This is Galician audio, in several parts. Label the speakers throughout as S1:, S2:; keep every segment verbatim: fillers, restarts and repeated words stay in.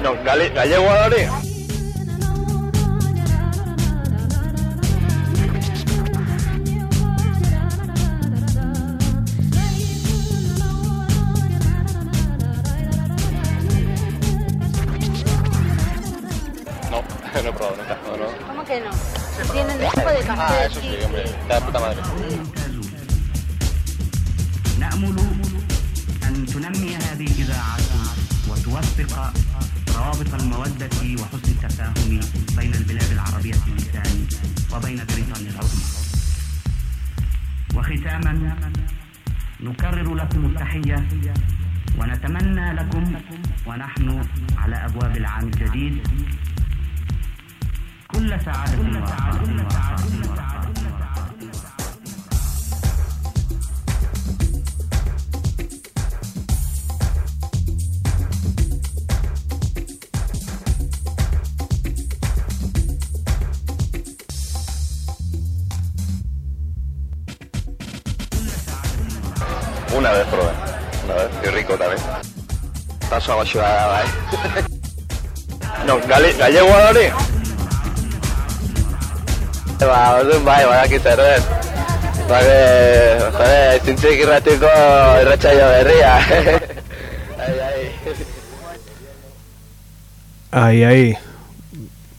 S1: No, gale, gallego adore. No, no he probado nunca, no, no.
S2: ¿Cómo que no? Tienen un tipo de café.
S1: Ah, eso sí, hombre, está de puta madre.
S3: نأمل أن تنمي هذه الإذاعة وتوثق روابط المودة وحسن التفاهم بين البلاد العربية اللسان وبين بريطانيا العظمى. وختاما نكرر لكم التحية ونتمنى لكم ونحن على أبواب العام الجديد كل سعادة ورخاء.
S1: Una vez probé, una vez, qué rico también. Paso a ayudar, ¿eh? No, gale, gallego adore. Va, un bai, va, que zerbait. Ba, que, joder, zintzik irratiko irratsaio berria. Ai, ai.
S4: Aí, aí.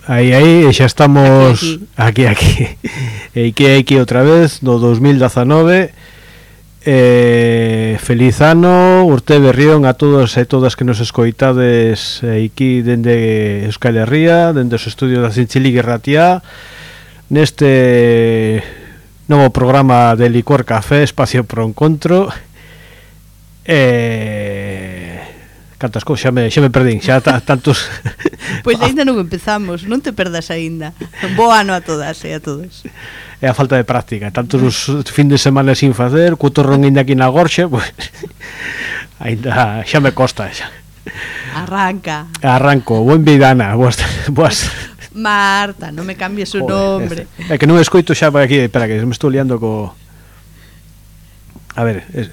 S4: Aí, aí, e xa estamos aquí, aquí. E que hai que outra vez no dos mil dezanove. Eh, feliz ano, Urte Berrión a todos e todas que nos escoitades aquí dende Euskal Herria, dende os estudios da Zintziligue Ratia, neste novo programa de Licor Café, Espacio Pro Encontro. Eh, cantas cousas, xa me, xa me perdín, xa ta, tantos.
S5: Pois ainda non empezamos, non te perdas aínda. Bo ano a todas e a todos.
S4: É a falta de práctica, tantos os fin de semana sin facer, co torrón ainda aquí na gorxa, pois ainda xa me costa xa.
S5: Arranca.
S4: Arranco, buen vidana, boas, boas.
S5: Marta, non me cambies o nombre.
S4: É que non escoito xa por aquí, espera que me estou liando co. A ver, es...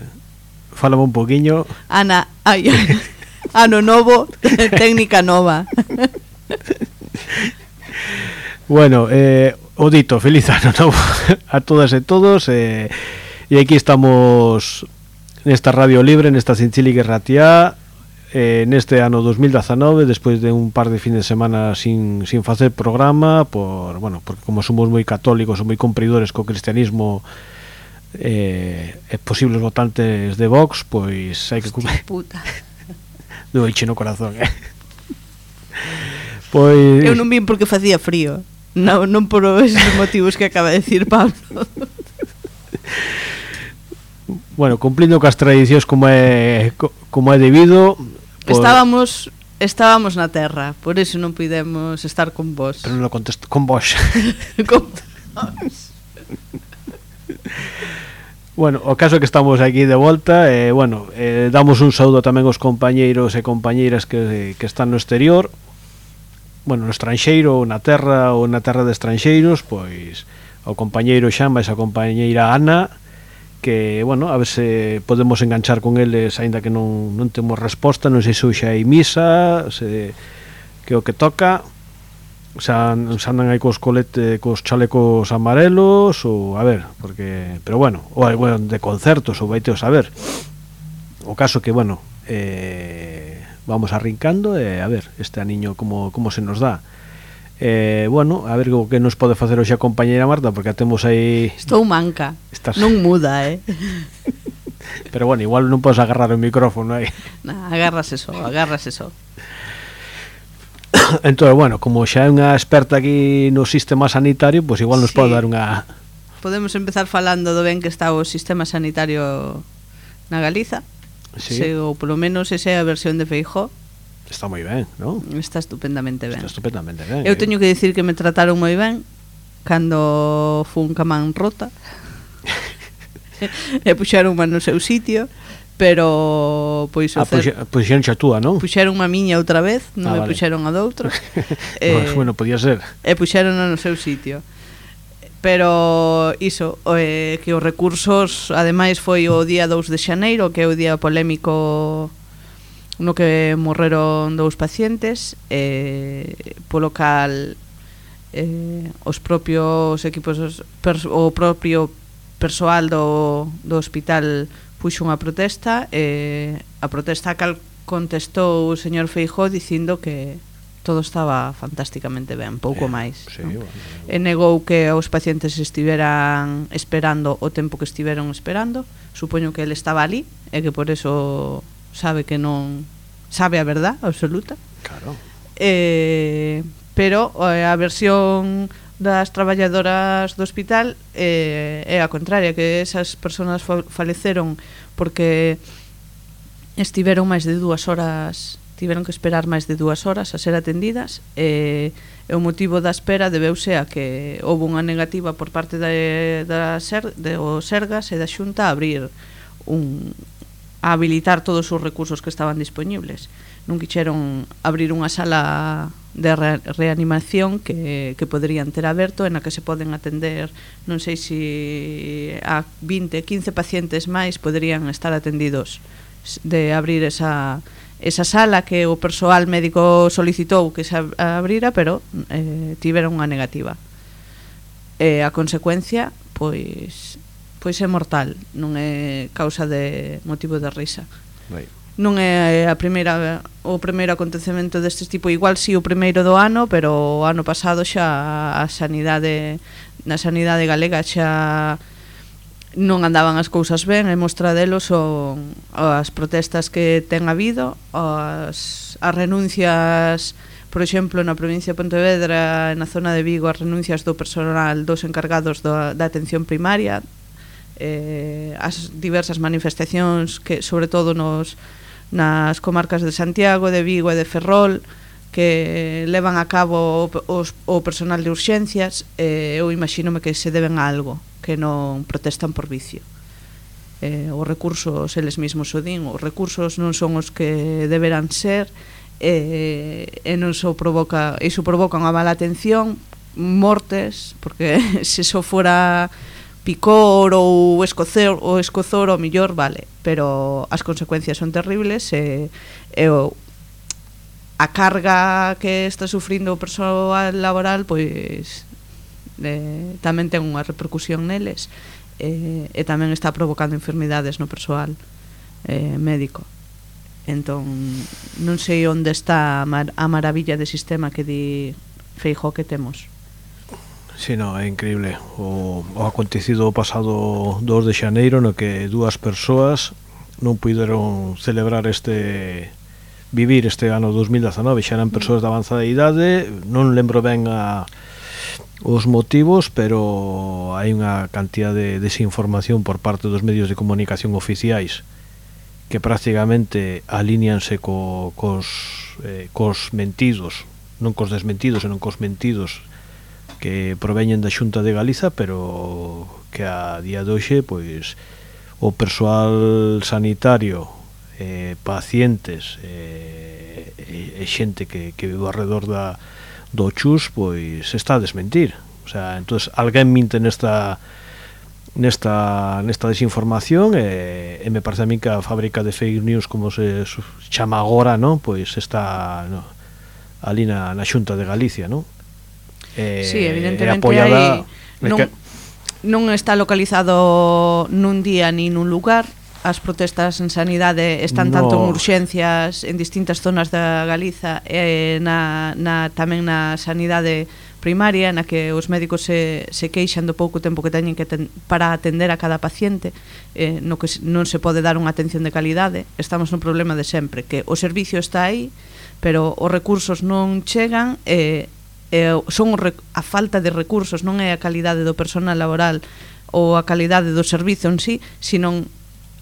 S4: fálame un poquiño.
S5: Ana, ai, ano novo, técnica nova.
S4: Bueno, eh o dito, feliz ano novo a todas e todos, eh, e aquí estamos nesta Radio Libre, nesta Zintziligue Ratia, eh, neste ano dos mil dezanove, despois de un par de fin de semana sin, sin facer programa, por, bueno, porque como somos moi católicos ou moi compridores co cristianismo, eh, e posibles votantes de Vox, pois hai que
S5: Hostia puta.
S4: Doiche no corazón, eh. Pois
S5: eu non vin porque facía frío. Non, non por esos motivos que acaba de decir Pablo.
S4: Bueno, cumplindo cas tradicións como é como é debido,
S5: por... Estábamos estábamos na terra, por eso non pudemos estar con vos.
S4: Pero non contesto con vos.
S5: Con vos.
S4: Bueno, o caso é que estamos aquí de volta e, eh, bueno, eh, damos un saúdo tamén aos compañeiros e compañeiras que, que están no exterior, bueno, no estranxeiro, na terra ou na terra de estranxeiros, pois ao compañeiro Xamba e a compañeira Ana, que, bueno, a ver se podemos enganchar con eles, aínda que non, non temos resposta, non sei se hoxe hai misa, se, que o que toca, xa, xa andan aí cos colete, cos chalecos amarelos, ou, a ver, porque, pero bueno, ou, bueno, de concertos, ou vaite a saber. O caso que, bueno, eh, vamos arrincando e a ver este aniño como, como se nos dá. Eh, bueno, a ver o que nos pode facer hoxe a compañeira Marta, porque a temos aí.
S5: Estou manca. Estás... Non muda, eh.
S4: Pero bueno, igual non podes agarrar o micrófono aí.
S5: Nah, agarras eso, agarras eso.
S4: Entón, bueno, como xa é unha experta aquí no sistema sanitario, pois pues igual nos sí. pode dar unha.
S5: Podemos empezar falando do ben que está o sistema sanitario na Galiza. Sí. Se, ou polo menos esa é a versión de Feijóo.
S4: Está moi ben, non?
S5: Está estupendamente ben.
S4: Está estupendamente ben.
S5: Eu
S4: eh?
S5: teño que dicir que me trataron moi ben cando fun camán rota. E puxeron unha no seu sitio, pero pois
S4: ah, puxe, puxeron xa túa, non?
S5: Puxeron unha miña outra vez, non ah, me vale. Puxeron a doutro.
S4: eh, bueno, podía ser.
S5: E puxeron no seu sitio. Pero iso, eh, que os recursos, ademais foi o día dous de xaneiro, que é o día polémico no que morreron dous pacientes, eh, polo cal eh, os propios equipos, pers, o propio persoal do, do hospital puxo unha protesta, e eh, a protesta a cal contestou o señor Feijóo dicindo que todo estaba fantásticamente ben, pouco máis,
S4: sí,
S5: ¿no?
S4: Bueno.
S5: E negou que os pacientes estiveran esperando o tempo que estiveron esperando. Supoño que ele estaba ali e que por eso sabe que non sabe a verdad absoluta.
S4: Claro.
S5: Eh, pero eh, a versión das traballadoras do hospital eh, é a contraria, que esas persoas faleceron porque estiveron máis de dúas horas, tiveron que esperar máis de dúas horas a ser atendidas, e, e o motivo da espera debeuse a que houve unha negativa por parte da, da ser, de o Sergas e da Xunta a abrir un, a habilitar todos os recursos que estaban disponibles. Non quixeron abrir unha sala de re, reanimación que, que poderían ter aberto, en a que se poden atender, non sei se a vinte, quince pacientes máis poderían estar atendidos, de abrir esa, esa sala que o persoal médico solicitou que se abrira, pero eh, tiveron unha negativa. E a consecuencia, pois, pois é mortal, non é causa de motivo de risa.
S4: Right.
S5: Non é a primeira, o primeiro acontecemento deste tipo, igual si o primeiro do ano, pero o ano pasado xa a sanidade, na sanidade galega xa non andaban as cousas ben, e mostra delo son as protestas que ten habido, as, as renuncias, por exemplo, na provincia de Pontevedra, na zona de Vigo, as renuncias do personal dos encargados do, da atención primaria, eh, as diversas manifestacións que, sobre todo nos, nas comarcas de Santiago, de Vigo e de Ferrol, que levan a cabo os, o personal de urxencias, eh, eu imagínome que se deben a algo, que non protestan por vicio. Eh, os recursos, eles mesmos o din, os recursos non son os que deberán ser, eh, e non só provoca, iso provoca unha mala atención, mortes, porque se só fora picor ou escozor, ou escozor o millor, vale, pero as consecuencias son terribles, e, e o a carga que está sufrindo o persoal laboral, pois eh, tamén ten unha repercusión neles, eh, e tamén está provocando enfermidades no persoal eh, médico. Entón, non sei onde está a, mar a maravilla de sistema que di Feijóo que temos.
S4: Si, no, é increíble o, o acontecido o pasado dos de xaneiro, no que dúas persoas non puideron celebrar este vivir este ano dos mil dezanove, xa eran persoas de avanzada idade, non lembro ben a os motivos, pero hai unha cantidad de desinformación por parte dos medios de comunicación oficiais que prácticamente alíñanse co, cos, eh, cos mentidos, non cos desmentidos, senón cos mentidos que proveñen da Xunta de Galiza, pero que a día de hoxe, pois, o persoal sanitario, eh, pacientes eh, e, e xente que, que vive alrededor da do chus, pois está a desmentir. O sea, entonces alguén minte nesta nesta nesta desinformación, e, e me parece a mí que a fábrica de fake news, como se chama agora, ¿no? Pois está, no, ali na, na Xunta de Galicia, ¿no? Eh,
S5: sí, evidentemente hai, non,
S4: que...
S5: non está localizado nun día ni nun lugar. As protestas en sanidade están
S4: no.
S5: tanto en urxencias en distintas zonas da Galiza, e na, na, tamén na sanidade primaria, na que os médicos se, se queixan do pouco tempo que teñen que ten, para atender a cada paciente, eh, no que non se pode dar unha atención de calidade. Estamos nun problema de sempre, que o servicio está aí, pero os recursos non chegan, e eh, son a falta de recursos, non é a calidade do personal laboral ou a calidade do servizo en sí, sino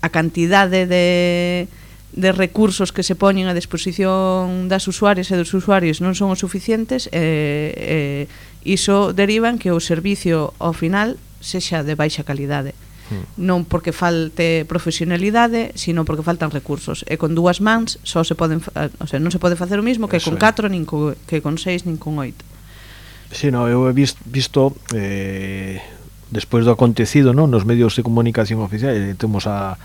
S5: a cantidade de, de recursos que se poñen a disposición das usuarias e dos usuarios non son os suficientes, e, e iso deriva en que o servicio ao final sexa de baixa calidade. Mm. Non porque falte profesionalidade, sino porque faltan recursos, e con dúas mans só se poden, o sea, non se pode facer o mismo que con catro, nin co, que con seis, nin con oito.
S4: Si, no, eu he visto, visto eh, despois do acontecido, no, nos medios de comunicación oficiais, temos a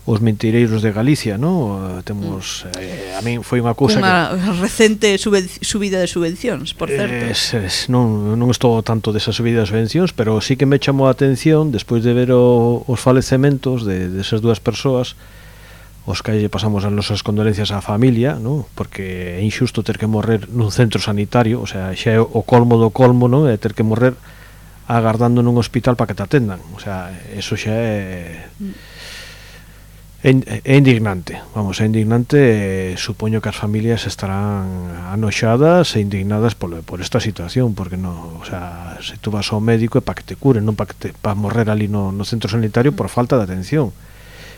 S4: os mentireiros de Galicia, no? Temos eh, a min foi unha cousa
S5: unha que... recente sube, subida de subvencións, por certo.
S4: Es, es, non, non estou tanto desa subida de subvencións, pero sí que me chamou a atención despois de ver o, os falecementos de, de esas dúas persoas, os que pasamos as nosas condolencias á familia, no? Porque é injusto ter que morrer nun centro sanitario, o sea, xa é o colmo do colmo, non? É ter que morrer agardando nun hospital para que te atendan, o sea, eso xa é... É, é indignante, vamos, é indignante, eh, supoño que as familias estarán anoxadas e indignadas por, por esta situación, porque no, o sea, se tú vas ao médico é para que te curen, non para que te, para morrer ali no, no centro sanitario por falta de atención.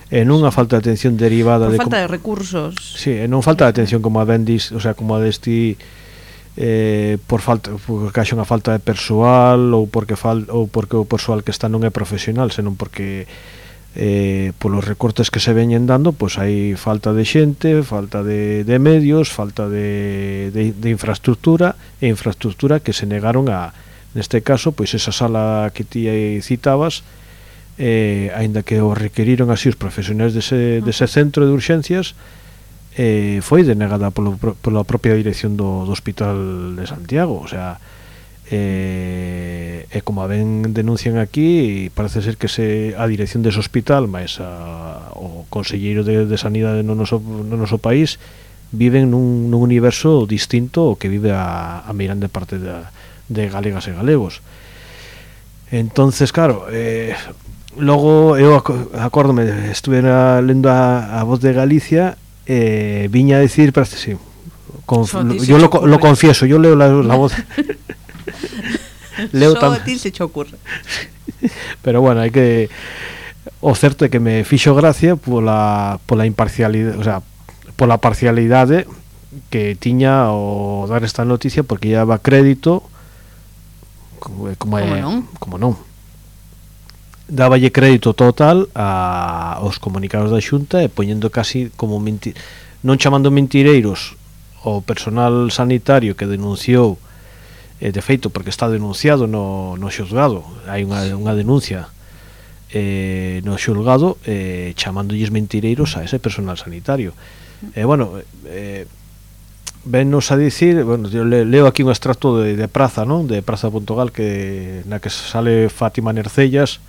S4: E non a falta de atención derivada
S5: por
S4: de
S5: falta
S4: como,
S5: de recursos.
S4: Sí, e non falta de atención como a vendis, o sea, como a desti eh, por falta, porque haxa unha falta de persoal ou porque fal, ou porque o persoal que está non é profesional, senón porque eh, polos recortes que se veñen dando, pois hai falta de xente, falta de, de medios, falta de, de, de infraestructura, e infraestructura que se negaron a, neste caso, pois esa sala que ti citabas, eh, aínda que o requeriron así os profesionais dese, dese centro de urxencias, eh, foi denegada polo, pola propia dirección do, do Hospital de Santiago, o sea, e, e como a ben denuncian aquí, parece ser que se a dirección dese hospital máis a, o conselleiro de, de sanidade no noso, no noso país viven nun, nun universo distinto ao que vive a, a meirande parte de, de galegas e galegos. Entonces, claro, eh, logo eu acórdome, estuve na, lendo a, a Voz de Galicia, eh, viña a decir, parece sí, conf, yo lo, lo confieso, yo leo la, la voz leo
S5: só a ti se che ocurre.
S4: Pero bueno, hai que, o certo é que me fixo gracia pola, pola imparcialidade, o sea, pola parcialidade que tiña o dar esta noticia, porque lle daba crédito como, como,
S5: como
S4: é,
S5: non?
S4: como non dáballe crédito total a, aos comunicados da Xunta, e poñendo casi como mentir, non chamando mentireiros o personal sanitario que denunciou, eh, de feito porque está denunciado no, no xulgado, hai unha, unha denuncia eh, no xulgado, eh, chamándolles mentireiros a ese personal sanitario. E eh, bueno, eh, vennos a dicir, bueno, yo le, leo aquí un extracto de, de Praza, non? De Praza punto gal, que na que sale Fátima Nercellas,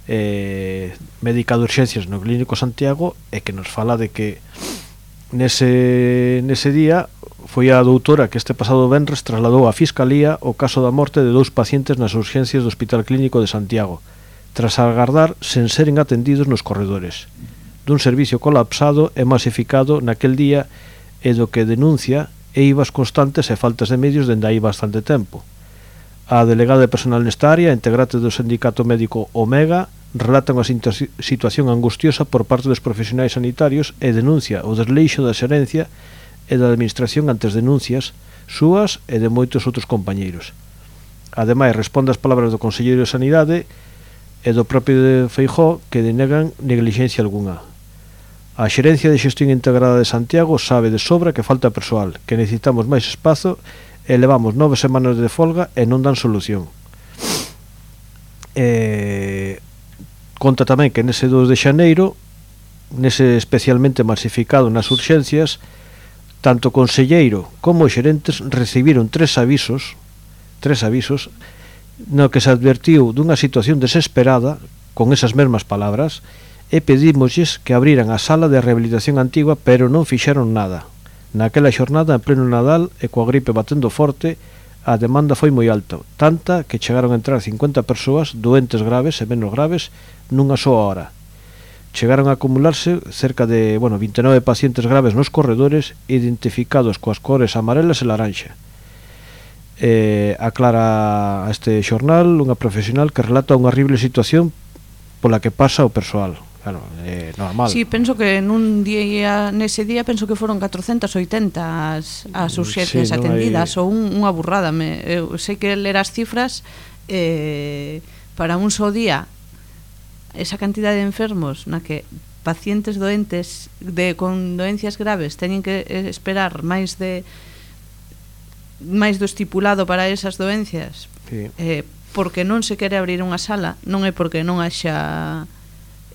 S4: eh, médica de urxencias no Clínico Santiago, e que nos fala de que nese, nese día foi a doutora que este pasado venres trasladou á Fiscalía o caso da morte de dous pacientes nas urxencias do Hospital Clínico de Santiago, tras agardar sen seren atendidos nos corredores dun servicio colapsado e masificado naquel día, e do que denuncia eivas constantes e faltas de medios dende aí bastante tempo. A delegada de personal nesta área, integrante do sindicato médico Omega, relata unha situación angustiosa por parte dos profesionais sanitarios e denuncia o desleixo da xerencia e da administración ante as denuncias súas e de moitos outros compañeiros. Ademais, responde ás palabras do Conselleiro de Sanidade e do propio de Feijóo, que denegan neglixencia algunha. A xerencia de xestión integrada de Santiago sabe de sobra que falta persoal, que necesitamos máis espazo e levamos nove semanas de folga e non dan solución. E conta tamén que nese dos de xaneiro, nese especialmente masificado nas urxencias, tanto o conselleiro como os xerentes recibiron tres avisos, tres avisos, no que se advertiu dunha situación desesperada, con esas mesmas palabras, e pedímosles que abriran a sala de rehabilitación antigua, pero non fixeron nada. Naquela xornada, en pleno Nadal, e coa gripe batendo forte, a demanda foi moi alta, tanta que chegaron a entrar cincuenta persoas, doentes graves e menos graves, nunha soa hora. Chegaron a acumularse cerca de, bueno, vinte e nove pacientes graves nos corredores, identificados coas cores amarelas e laranxa. Eh, aclara a este xornal unha profesional que relata unha horrible situación pola que pasa o persoal. Claro, é normal.
S5: Sí, penso que nun día, nese día penso que foron catrocentas e oitenta as, as urxencias
S4: sí, no
S5: atendidas,
S4: hai...
S5: ou un, unha burrada. Me, eu sei que ler as cifras, eh, para un só día, esa cantidad de enfermos na que pacientes doentes de con doencias graves teñen que esperar máis de máis do estipulado para esas doencias, sí. eh, porque non se quere abrir unha sala, non é porque non haxa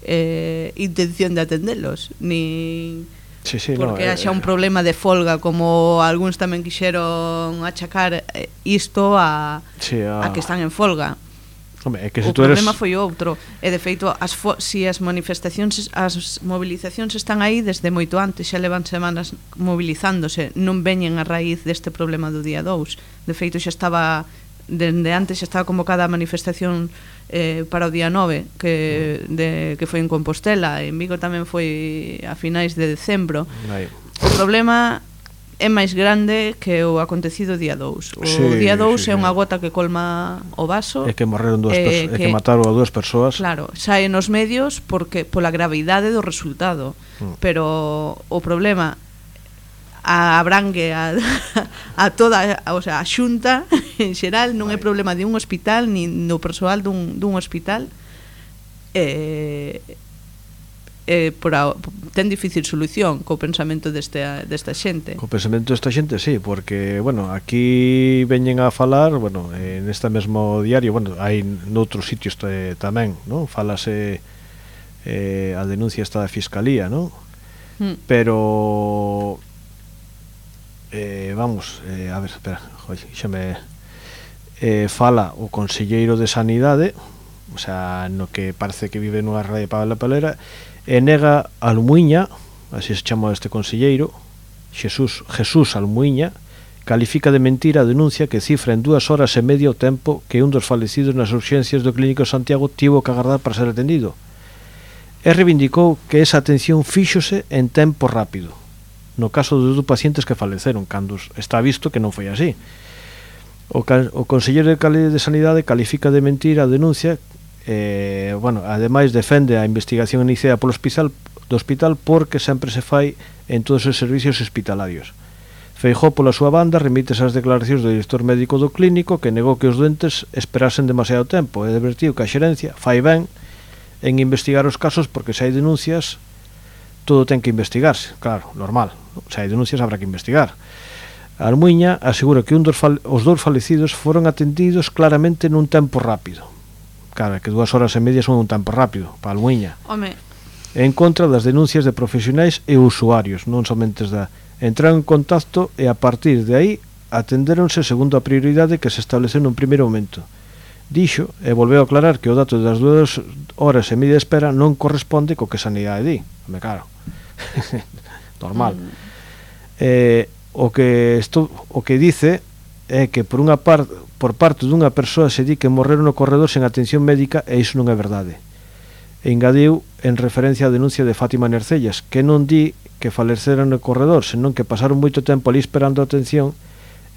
S5: eh, intención de atendelos, nin
S4: sí, sí,
S5: porque
S4: no,
S5: haxa
S4: eh,
S5: un problema de folga, como algúns tamén quixeron achacar eh, isto a,
S4: sí, a...
S5: a que están en folga.
S4: Hombre, é que se
S5: O
S4: tú eres...
S5: problema foi outro, e de feito as fo si as manifestacións, as movilizacións están aí desde moito antes, xa levan semanas movilizándose, non veñen a raíz deste problema do día dous. De feito xa estaba dende antes xa estaba convocada a manifestación eh, para o día nove que, de, que foi en Compostela, en Vigo tamén foi a finais de decembro.
S4: Aí.
S5: O problema é máis grande que o acontecido día dous. O
S4: Sí,
S5: día dous
S4: sí,
S5: é unha
S4: sí.
S5: gota que colma o vaso.
S4: É que morreron dúas
S5: eh,
S4: persoas, é que
S5: que-
S4: mataron a dúas persoas.
S5: Claro, sae nos medios porque pola gravidade do resultado,
S4: Mm.
S5: pero o problema a abrangue a, a toda, a, o sea, a xunta en xeral, non é problema de un hospital nin do persoal dun, dun hospital. Eh, eh, por a, ten difícil solución co pensamento deste, desta xente.
S4: Co pensamento desta xente, sí, porque, bueno, aquí veñen a falar, bueno, en este mesmo diario, bueno, hai noutros sitios te, tamén, non? Falase eh, a denuncia esta da Fiscalía, non?
S5: Mm.
S4: Pero eh, vamos, eh, a ver, espera, oi, xa me eh, fala o conselleiro de Sanidade, o sea, no que parece que vive nunha radio para la palera, e nega Almuiña, así se chama este conselleiro, Jesús, Jesús Almuiña, califica de mentira a denuncia que cifra en dúas horas e media o tempo que un dos falecidos nas urxencias do Clínico de Santiago tivo que agardar para ser atendido. E reivindicou que esa atención fíxose en tempo rápido, no caso dos dos pacientes que faleceron, cando está visto que non foi así. O, o conselleiro de Calidade de Sanidade califica de mentira a denuncia. Eh, bueno, ademais defende a investigación iniciada polo hospital, do hospital porque sempre se fai en todos os servicios hospitalarios. Feijóo pola súa banda remite as declaracións do director médico do clínico que negou que os doentes esperasen demasiado tempo e advertiu que a xerencia fai ben en investigar os casos porque se hai denuncias todo ten que investigarse, claro, normal, se hai denuncias habrá que investigar. Almuiña asegura que un dos os dous falecidos foron atendidos claramente nun tempo rápido. Claro, que dúas horas e media son un tempo rápido para Almuiña.
S5: Home,
S4: En contra das denuncias de profesionais e usuarios, non somente da entraron en contacto e a partir de aí atendéronse segundo a prioridade que se estableceu nun primeiro momento. Dixo e volveu a aclarar que o dato das dúas horas e media de espera non corresponde co que Sanidade di. Me claro. Normal.
S5: Mm.
S4: Eh, o que isto, o que dice é que por unha parte por parte dunha persoa se di que morreron no corredor sen atención médica e iso non é verdade. E engadiu en referencia á denuncia de Fátima Nercellas, que non di que faleceran no corredor, senón que pasaron moito tempo ali esperando a atención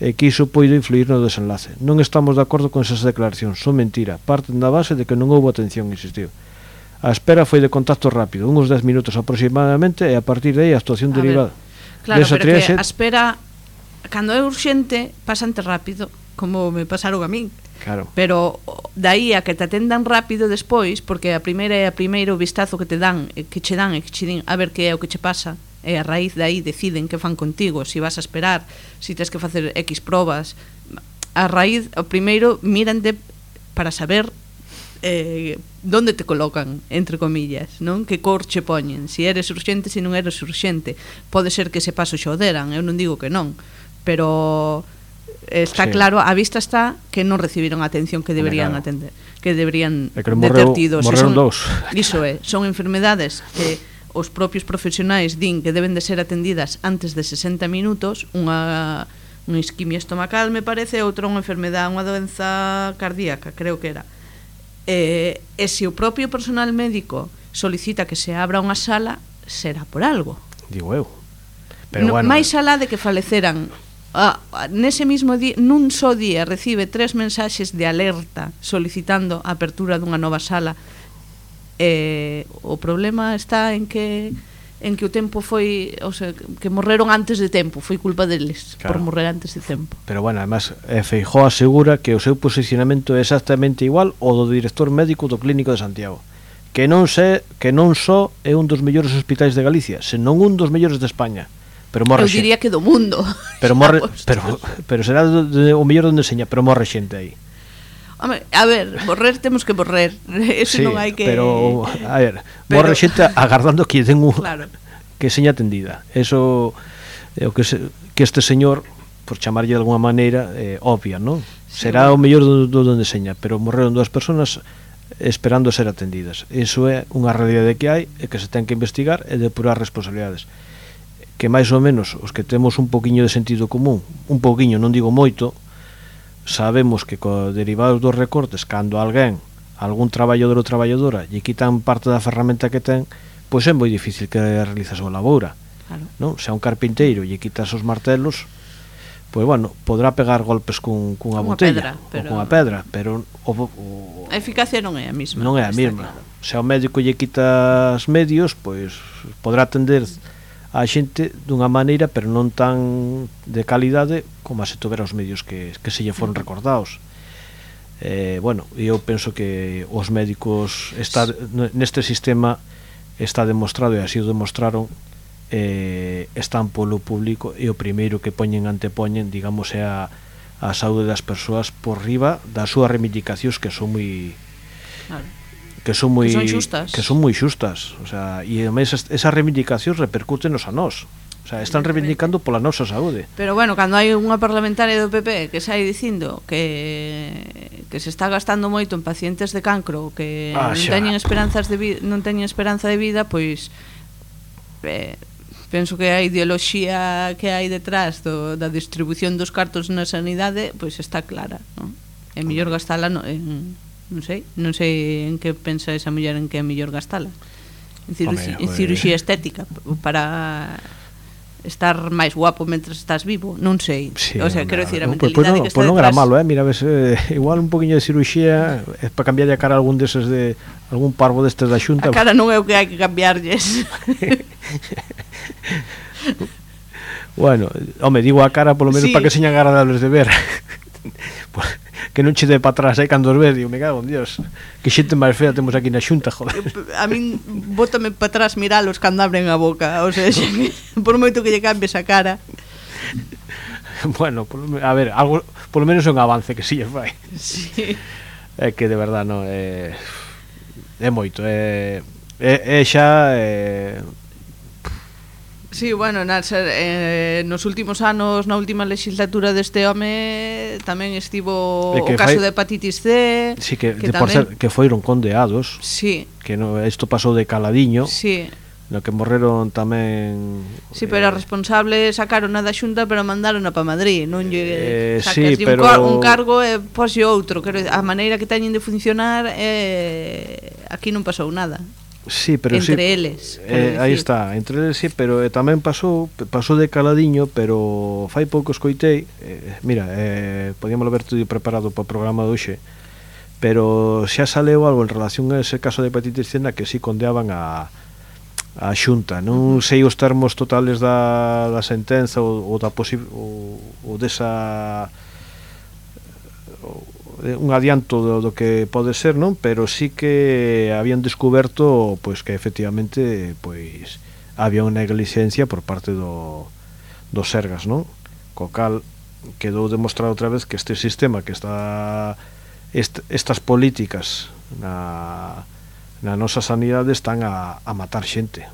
S4: e que iso poido influir no desenlace. Non estamos de acordo con esas declaracións, son mentira, parten da base de que non houbo atención, insistiu. A espera foi de contacto rápido, uns dez minutos aproximadamente, e a partir de aí a actuación
S5: A ver,
S4: derivada.
S5: claro,
S4: Desa
S5: pero que
S4: triaxe-
S5: a espera, cando é urxente, pasante rápido, como me pasaron a min.
S4: Claro.
S5: Pero dai a que te atendan rápido despois, porque a primeira é a primeiro vistazo que te dan, e que che dan e que che din a ver que é o que che pasa, e a raíz de aí deciden que fan contigo, si vas a esperar, si tens que facer X probas. A raíz, o primeiro mírante para saber eh, donde te colocan, entre comillas, non? Que cor che poñen, si eres urxente, si non eres urxente. Pode ser que ese paso xo deran, eu non digo que non, pero está
S4: Sí.
S5: claro, a vista está que non recibiron a atención que deberían
S4: claro.
S5: atender, que deberían
S4: É que
S5: de
S4: morreu-
S5: ter tido. Se
S4: morreron
S5: son-
S4: dous.
S5: Iso é, son enfermedades que os propios profesionais din que deben de ser atendidas antes de sesenta minutos, unha unha isquimia estomacal, me parece, outra unha enfermedade, unha doenza cardíaca, creo que era. E, e se o propio personal médico solicita que se abra unha sala, será por algo.
S4: Digo eu. Pero
S5: No,
S4: bueno,
S5: máis alá de que faleceran ah, nese mismo día, nun só día recibe tres mensaxes de alerta solicitando a apertura dunha nova sala. Eh, o problema está en que en que o tempo foi, o sea, que morreron antes de tempo, foi culpa deles,
S4: Claro.
S5: por morrer antes de tempo.
S4: pero bueno, además eh, Feijóo asegura que o seu posicionamento é exactamente igual ao do director médico do Clínico de Santiago, que non sé, que non só é un dos mellores hospitais de Galicia, senón un dos mellores de España. Pero morre
S5: Eu diría que do mundo.
S4: pero morre,
S5: Vamos.
S4: pero pero será do, de, o mellor onde enseña, pero morre xente aí.
S5: Home, a ver, morrer temos que morrer. Eso
S4: sí,
S5: non hai que...
S4: pero, a ver,
S5: Pero-
S4: morre xente agardando que den un...
S5: Claro.
S4: que seña atendida. Eso é o que, se, que este señor, por chamarlle de alguna maneira, eh, obvia, non?
S5: Sí,
S4: Será
S5: bueno.
S4: o mellor do, do donde seña, pero morreron dúas persoas esperando ser atendidas. Iso é unha realidade que hai e que se ten que investigar e depurar responsabilidades. Que máis ou menos os que temos un poquiño de sentido común, un poquiño, non digo moito, sabemos que co derivados dos recortes, cando alguén, algún traballador ou traballadora lle quitan parte da ferramenta que ten, pois é moi difícil que realiza a súa laboura,
S5: Claro.
S4: non? Se a un carpinteiro lle quitas os martelos, pois bueno, podrá pegar golpes cun, cunha
S5: Cunha
S4: botella
S5: pedra, pero-
S4: ou cunha pedra, pero o, o,
S5: A eficacia non é a mesma.
S4: non é a
S5: está
S4: mesma.
S5: claro.
S4: Se ao médico lle quitas medios, pois podrá atender a xente dunha maneira, pero non tan de calidade como a se tuvera os medios que, que se lle foron recordados. Eh, bueno, eu penso que os médicos está neste sistema está demostrado, e así o demostraron, eh, están polo público, e o primeiro que poñen antepoñen, digamos, é a, a saúde das persoas por riba das súas reivindicacións, que son moi
S5: Claro.
S4: que son moi
S5: Que son xustas.
S4: que son moi xustas, o sea, e ademais es- esas reivindicacións repercútenos a nós. O sea, están reivindicando pola nosa saúde.
S5: Pero bueno, cando hai unha parlamentaria do P P que sai dicindo que que se está gastando moito en pacientes de cancro, que
S4: Ah,
S5: non
S4: xa.
S5: teñen esperanzas de vida, non teñen esperanza de vida, pois eh, penso que a ideoloxía que hai detrás do, da distribución dos cartos na sanidade pois está clara, non? É mellor gastala no, en, non sei, non sei en que pensa esa muller en que é mellor gastala. En, ciru
S4: Home,
S5: en
S4: joder.
S5: cirurxía estética para estar máis guapo mentres estás vivo, non sei.
S4: Sí,
S5: o sea,
S4: non,
S5: quero decir, a
S4: non, pois
S5: mentalidade
S4: non,
S5: que está
S4: pois non era
S5: detrás...
S4: malo, eh? Mira, ves, eh, igual un poquinho de cirurxía é para cambiarlle a cara a algún deses de algún parvo destes da Xunta.
S5: A cara non é o que hai que cambiarlles.
S4: Bueno, home, digo a cara polo menos
S5: Sí.
S4: para que señan agradables de ver. Pues, que non che dé para atrás aí cando os ves, digo, me cago en Dios. Que xente máis fea temos aquí na Xunta, joder.
S5: A min bótame para atrás miralos cando abren a boca, o sea, por moito que lle cambies a cara.
S4: Bueno, polo, a ver, algo, polo menos é un avance que si lle fai.
S5: Sí.
S4: É que de verdad non é é moito, é é, é xa é,
S5: Sí, bueno, nas, eh, nos últimos anos, na última legislatura deste home tamén estivo
S4: É que
S5: o caso
S4: fai-
S5: de hepatitis C,
S4: sí que,
S5: que
S4: de por ser,
S5: tamén...
S4: que foron condeados,
S5: Sí,
S4: que no, isto pasou de caladiño,
S5: sí.
S4: no que morreron tamén
S5: Sí, pero a responsable sacaron a da Xunta, pero mandaron a pa Madrid, non lle
S4: Eh,
S5: sacas
S4: sí,
S5: un,
S4: pero-
S5: car un cargo e poslle outro, quero a maneira que teñen de funcionar eh, aquí non pasou nada.
S4: sí, pero
S5: entre
S4: sí,
S5: eles,
S4: eh,
S5: quero
S4: aí
S5: dicir.
S4: está, entre eles sí, pero eh, tamén pasou pasou de caladiño, pero fai pouco escoitei, eh, mira, eh, podíamos haber tudo preparado para o programa de hoxe, pero xa saleu algo en relación a ese caso de hepatitis C na que sí condeaban a a Xunta. Non sei os termos totales da, da sentenza ou, ou da posible ou, ou desa ou, un adianto do, do que pode ser, non? Pero sí que habían descoberto pois que efectivamente pois había unha negligencia por parte do dos Sergas, non? Co cal quedou demostrado outra vez que este sistema que está est, estas políticas na na nosa sanidade están a, a matar xente.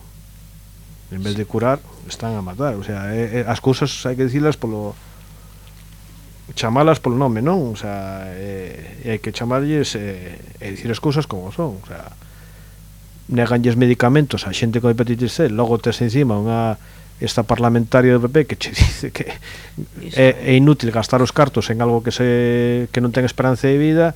S4: En vez de curar, están a matar. O sea, é, é, as cousas hai que dicilas polo chamalas polo nome, non? O sea, é, hai que chamarlles e, e dicir as cousas como son. O sea, neganlles medicamentos a xente con hepatitis C, logo tes encima unha esta parlamentaria do P P que che dice que é, é inútil gastar os cartos en algo que se que non ten esperanza de vida,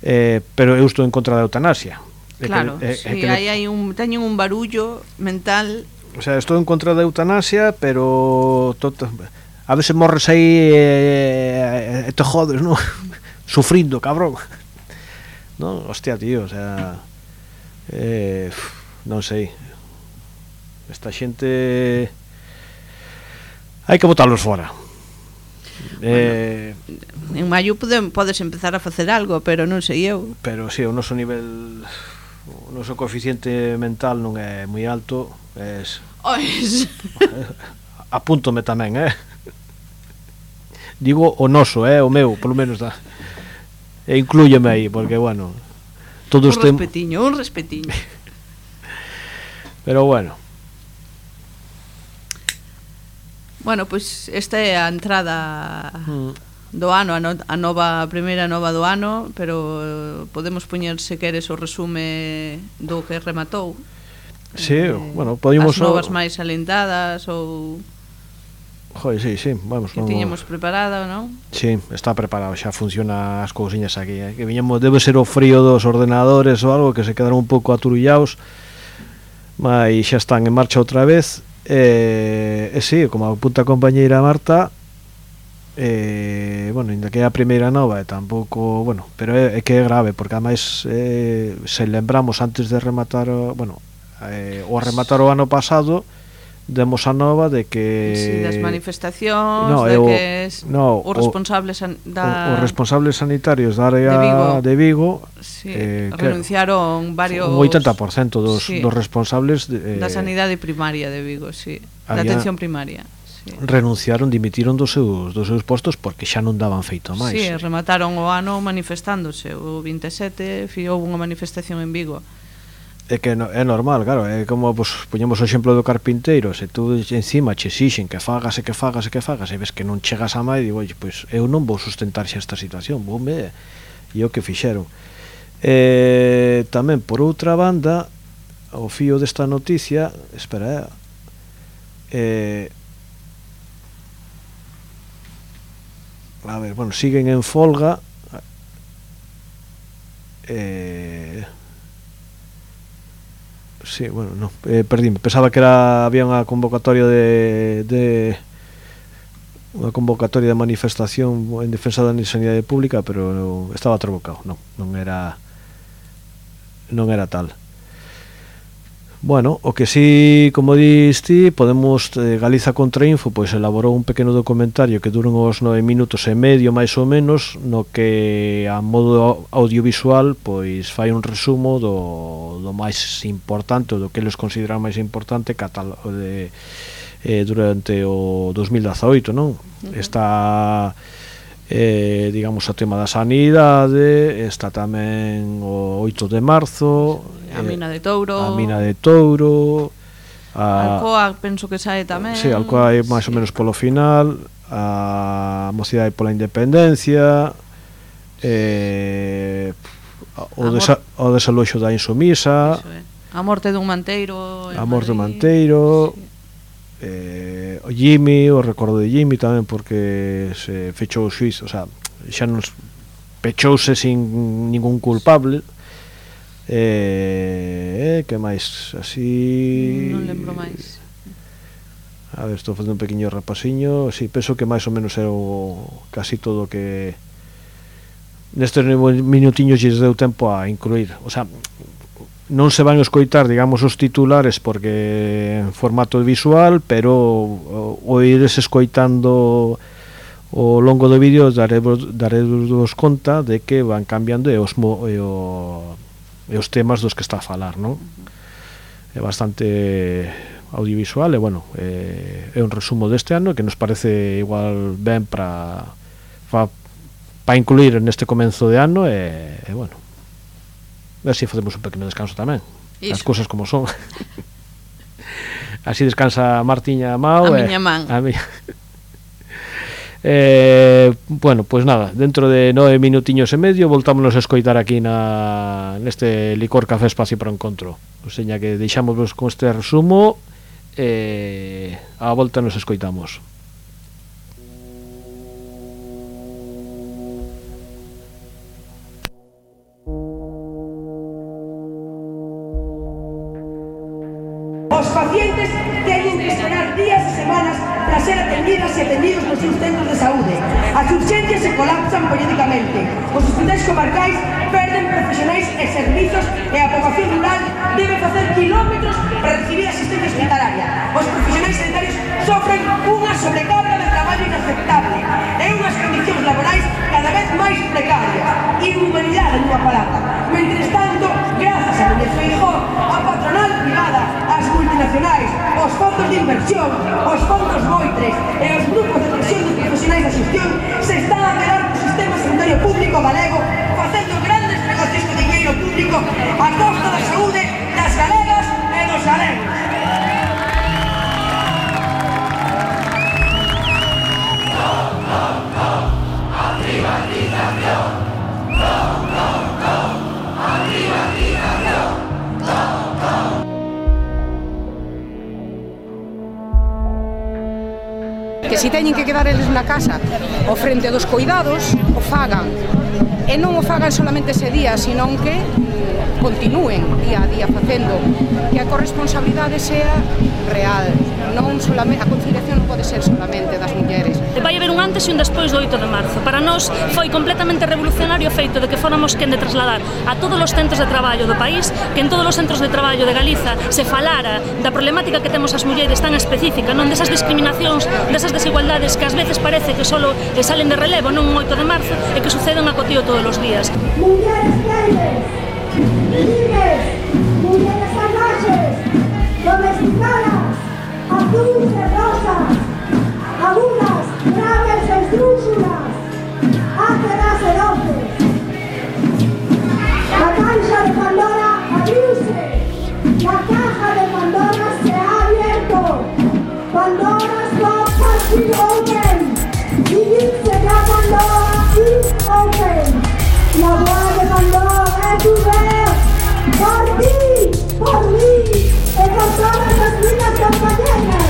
S4: eh, pero eu estou en contra da eutanasia. É
S5: Claro,
S4: que, é,
S5: sí,
S4: é que
S5: aí hai un, teñen un barullo mental.
S4: O sea, estou en contra da eutanasia, pero tot, a veces morres aí e, e te jodes, non? Sufrindo, cabrón. Non, hostia, tío, o sea, eh, non sei. Esta xente hai que botalos fora. Eh,
S5: En maio podem, podes empezar a facer algo, pero non sei eu.
S4: pero si, sí, o noso nivel, o noso coeficiente mental non é moi alto, es
S5: Ois.
S4: apúntome tamén, eh. Digo o noso, eh, o meu, polo menos da. E inclúyeme aí, porque, bueno, todos
S5: un
S4: tem...
S5: respetiño, un respetiño.
S4: Pero, bueno.
S5: Bueno, pois pues esta é a entrada
S4: Mm.
S5: do ano, a, no, a nova a primeira nova do ano, pero podemos poñer se queres o resume do que rematou.
S4: Sí,
S5: eh,
S4: bueno, podíamos...
S5: as novas máis alentadas ou
S4: Joder, sí, sí, vamos,
S5: que
S4: vamos.
S5: tiñemos preparado, non?
S4: Sí, está preparado, xa funciona as cousiñas aquí, eh? Que viñemos, debe ser o frío dos ordenadores ou algo, que se quedaron un pouco aturullados, mas xa están en marcha outra vez. E, e sí, como apunta a compañeira Marta, eh, bueno, ainda que é a primeira nova e tampouco, bueno, pero é, é que é grave, porque ademais eh, se lembramos antes de rematar, o, bueno, eh, o rematar o ano pasado, demos a nova de que
S5: Sí, das manifestacións,
S4: no,
S5: de
S4: o,
S5: que es,
S4: no,
S5: os responsables san, da,
S4: o, os responsables sanitarios da área
S5: de Vigo,
S4: de Vigo
S5: sí,
S4: eh,
S5: renunciaron varios
S4: un oitenta por cento dos,
S5: sí,
S4: dos responsables de, eh,
S5: da sanidade primaria de Vigo, sí, da
S4: había,
S5: atención primaria. Sí.
S4: Renunciaron, dimitiron dos seus, dos seus postos porque xa non daban feito máis.
S5: Sí, remataron o ano manifestándose. O vinte e sete houve unha manifestación en Vigo.
S4: É que no, é normal, claro, é como pues, poñemos o exemplo do carpinteiro, se tú encima che exixen que fagas e que fagas e que fagas e ves que non chegas a máis, digo, oye, pois eu non vou sustentar xa esta situación, voume, e o que fixeron. Eh, tamén, por outra banda, o fío desta noticia, espera, eh, a ver, bueno, siguen en folga, eh... Sí, bueno, no, eh, perdíme. Pensaba que era había unha convocatoria de, de unha convocatoria de manifestación en defensa da sanidade pública, pero no, estaba trabocado, non, non era non era tal. Bueno, o que sí, como diste, podemos, eh, Galiza Contrainfo pois elaborou un pequeno documentario que dura uns nove minutos e medio máis ou menos, no que a modo audiovisual pois fai un resumo do, do máis importante, do que eles consideran máis importante catal de, eh, durante o dos mil dezaoito, non? Uh-huh. Está eh, digamos o tema da sanidade, está tamén o oito de marzo,
S5: a mina de Touro,
S4: a mina de Touro,
S5: a Alcoa penso que sae tamén.
S4: Sí, Alcoa é máis sí. ou menos polo final, a Mocidade pola Independencia, eh, o, desa, o desaloxo da Insumisa,
S5: a morte dun manteiro,
S4: a morte dun manteiro, sí. eh, o Jimmy, o recordo de Jimmy tamén, porque se fechou o xuizo, o sea, xa non pechouse sin ningún culpable. Eh, eh, que máis así
S5: non lembro máis.
S4: A ver, estou facendo un pequeño repasiño. Si, sí, penso que máis ou menos é o casi todo que nestes minutiños lles deu tempo a incluir. O sea, non se van a escoitar, digamos, os titulares porque en formato visual, pero o, o ires escoitando o longo do vídeo daremos, daremos conta de que van cambiando e os, e o e os temas dos que está a falar, non? É bastante audiovisual e, bueno, é, é un resumo deste ano que nos parece igual ben para para incluir neste comenzo de ano e, e bueno, a ver se facemos un pequeno descanso tamén. Iso. As cousas como son. Así descansa Martiña Mao
S5: a miña man.
S4: A miña... Eh, bueno, pois pues nada, dentro de nove minutiños e medio voltámonos a escoitar aquí na neste Licor Café Espacio para Encontro. O seña que deixámosvos con este resumo e eh, a volta nos escoitamos.
S6: Os pacientes teñen que esperar días e semanas para ser atendidas e atendidos nos seus centros de saúde. As urxencias se colapsan periódicamente. Os hospitais comarcais perden profesionais e servizos e a poboación rural debe facer kilómetros para recibir asistencia hospitalaria. Os profesionais sanitarios sofren unha sobrecarga de traballo inaceptable e unhas condicións laborais cada vez máis precarias. Inhumanidade nunha palabra. Mentres tanto, grazas a Núñez Feijóo, a patronal privada, as multinacionais, os fondos de inversión, os fondos Moitres e os grupos de presión de profesionais da xestión se están a quedar co sistema sanitario público galego
S7: Que se teñen que quedar eles na casa ao frente dos coidados, o fagan. E non o fagan solamente ese día, senón que continúen día a día facendo, que a corresponsabilidade sea real, non solamente, a conciliación non pode ser solamente das mulleres.
S8: Vai haber un antes e un despois do oito de marzo. Para nós foi completamente revolucionario o feito de que fóramos quen de trasladar a todos os centros de traballo do país, que en todos os centros de traballo de Galiza se falara da problemática que temos as mulleres tan específica, non desas discriminacións, desas desigualdades que ás veces parece que solo salen de relevo nun oito de marzo e que suceden a cotío todos os días.
S6: Mulleres libres, libres, mulleres salvajes, domesticadas, azules e rosas, agudas, graves e estrúxulas, áceras e doces. La caixa de Pandora abriuse, la caja de Pandora se ha abierto. Pandora's box has been open. Dice ya Pandora is open. La boda de Pandora es ouverte por ti, por mí y por todas las vidas compañeras.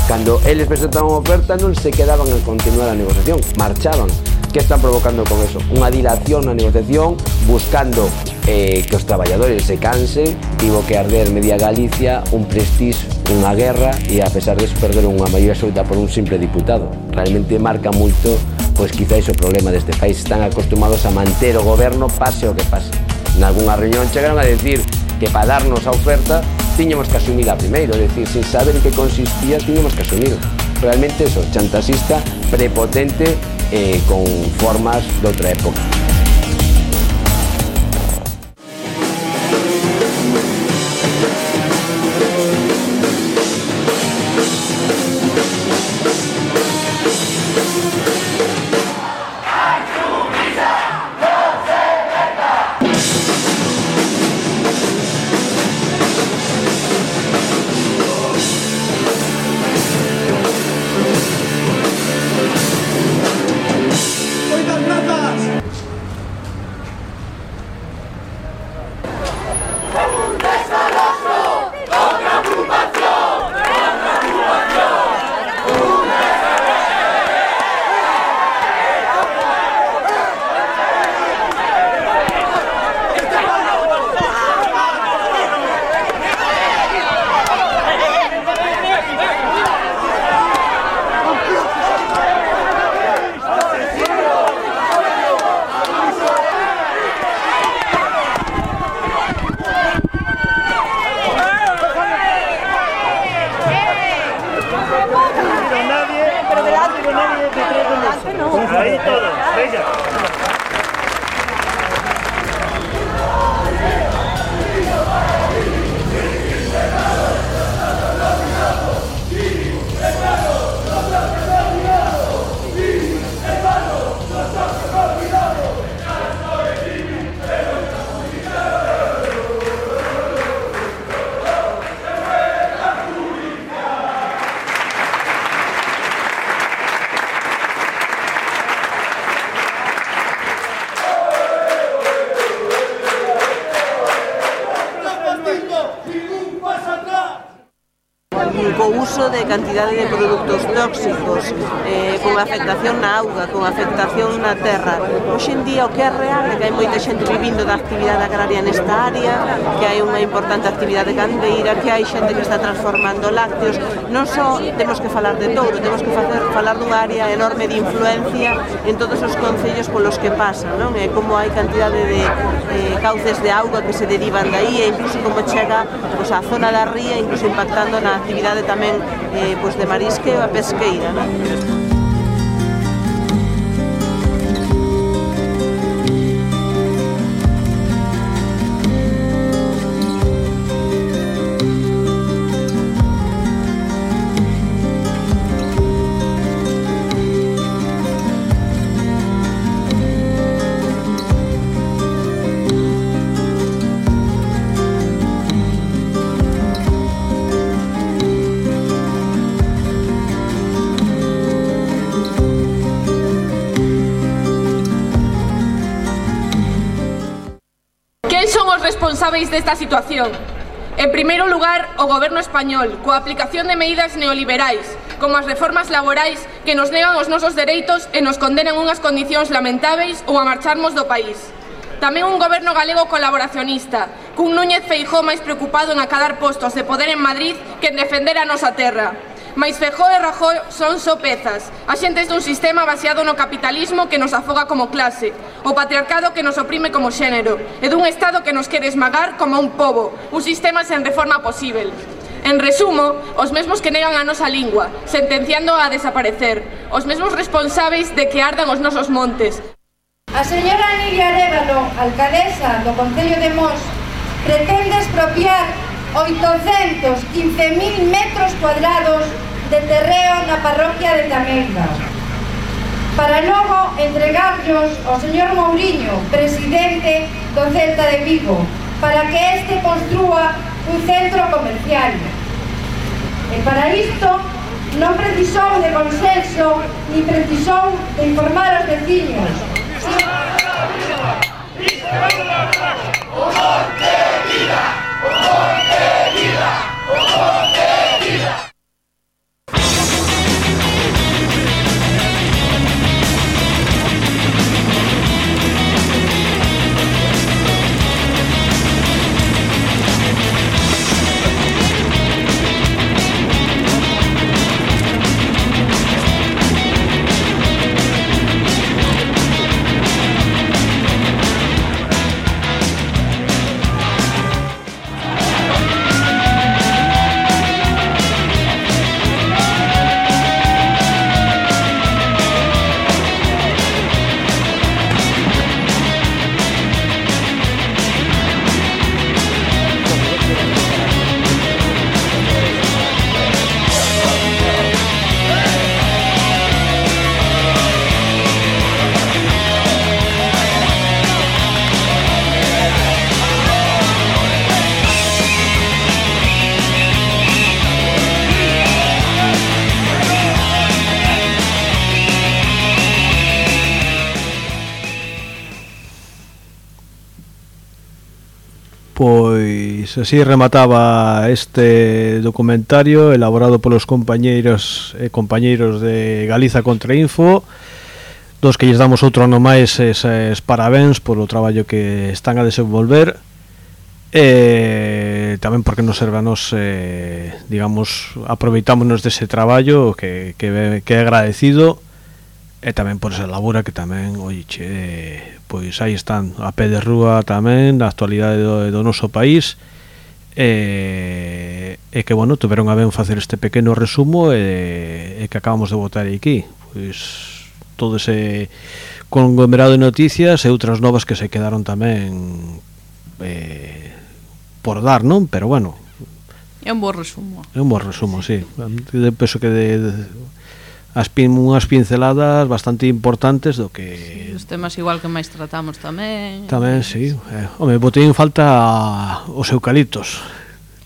S9: Cando eles presentaban a oferta non se quedaban a continuar a negociación, marchaban. Que están provocando con eso? Unha dilación na negociación, buscando eh, que os traballadores se cansen. Tivo que arder media Galicia, un prestige, unha guerra, e a pesar de eso perderon unha maioría absoluta por un simple diputado. Realmente marca moito, pois quizáis o problema deste país. Están acostumados a manter o goberno pase o que pase. Nalgúnha reunión chegaron a decir que para darnos a oferta tiñamos que asumila primeiro, é dicir, sin saber en que consistía, tiñamos que asumir. Realmente eso, chantaxista, prepotente, eh, con formas de outra época.
S10: co uso de cantidade de produtos tóxicos, eh, con afectación na auga, con afectación na terra. Hoxe en día o que é real é que hai moita xente vivindo da actividade agraria nesta área, que hai unha importante actividade gandeira, que hai xente que está transformando lácteos. Non só temos que falar de Touro, temos que facer, falar dunha área enorme de influencia en todos os concellos polos que pasan, non? E como hai cantidade de eh, cauces de auga que se derivan daí e incluso como chega pues, a zona da ría, incluso impactando na actividade tamén eh, pues, de marisqueo e pesqueira, non?
S11: Responsáveis desta situación. En primeiro lugar, o Goberno español, coa aplicación de medidas neoliberais, como as reformas laborais que nos negan os nosos dereitos e nos condenan unhas condicións lamentáveis ou a marcharmos do país. Tamén un Goberno galego colaboracionista, cun Núñez Feijóo máis preocupado en acadar postos de poder en Madrid que en defender a nosa terra. Mais Feijóo e Rajoy son só pezas, axentes dun sistema baseado no capitalismo que nos afoga como clase, o patriarcado que nos oprime como xénero, e dun Estado que nos quere esmagar como un pobo, un sistema sen reforma posível. En resumo, os mesmos que negan a nosa lingua, sentenciando a desaparecer, os mesmos responsáveis de que ardan os nosos montes.
S12: A señora Nidia Arévalo, alcaldesa do Concello de Mos, pretende expropiar oitocentos quince mil metros cuadrados de terreo na parroquia de Tamelga, para logo entregarlos ao señor Mouriño, presidente do Celta de Vigo, para que este construa un centro comercial. E para isto non precisou de consenso ni precisou de informar aos veciños.
S4: Pois así remataba este documentario elaborado polos compañeiros e compañeiros de Galiza Contra Info, dos que lles damos outro ano máis eses parabéns polo traballo que están a desenvolver, e tamén porque nos serve a nos, eh, digamos, aproveitámonos dese traballo que, que, que é agradecido, e tamén por esa labora que tamén, oiche, pois aí están a pé de rúa tamén na actualidade do, do noso país, e, e que, bueno, tuveron a ben facer este pequeno resumo e, e que acabamos de botar aquí, pois todo ese conglomerado de noticias e outras novas que se quedaron tamén eh, por dar, non? Pero bueno,
S5: é un bo resumo.
S4: É un bo resumo, sí. Penso que de, de as pin, unhas pinceladas bastante importantes do que...
S5: Sí, os temas igual que máis tratamos tamén.
S4: Tamén, sí. Eh, home, botei en falta os eucaliptos.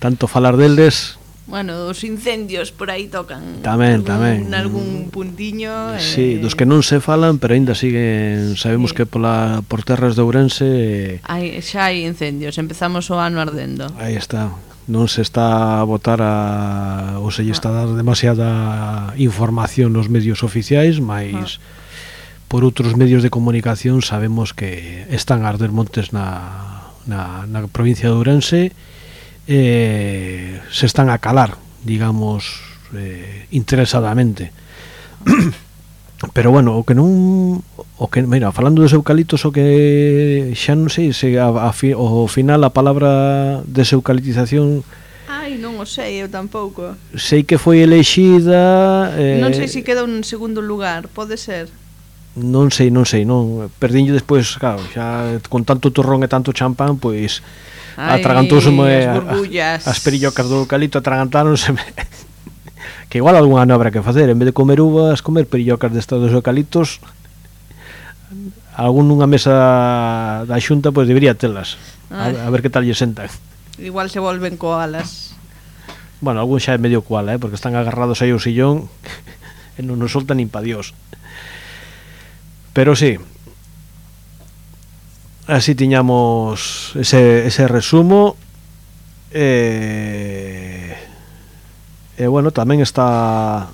S4: Tanto falar deldes...
S5: Bueno, os incendios por aí tocan.
S4: Tamén,
S5: algún,
S4: tamén.
S5: Nalgún puntiño.
S4: Sí,
S5: eh...
S4: dos que non se falan, pero ainda siguen... Sabemos sí. que pola, por terras de Ourense...
S5: Hai, xa hai incendios, empezamos o ano ardendo.
S4: Aí está. non se está a botar a, ou se lle está a dar demasiada información nos medios oficiais, mas por outros medios de comunicación sabemos que están a arder montes na, na, na provincia de Ourense, eh, se están a calar, digamos, eh, interesadamente. Pero bueno, o que non, o que, mira, falando dos eucaliptos, o que xa non sei se a, a fi, o final a palabra deseucaliptización,
S5: ai, non o sei, eu tampouco.
S4: Sei que foi elexida, eh,
S5: non sei se queda un segundo lugar, pode ser.
S4: Non sei, non sei, non, perdinlle despois, claro, xa con tanto turrón e tanto champán, pois atragantouseme as, as perillocas do eucalipto, atragantáronse. Que igual algunha no habrá que facer, en vez de comer uvas, comer perillocas destas dos eucaliptos. Algún nunha mesa da xunta pois debería telas, a, a ver que tal lle sentan.
S5: Igual se volven koalas.
S4: Bueno, algún xa é medio koala, eh, porque están agarrados aí ao sillón e non nos soltan nin pa Dios. Pero sí, así tiñamos ese, ese resumo. E, e bueno, tamén está,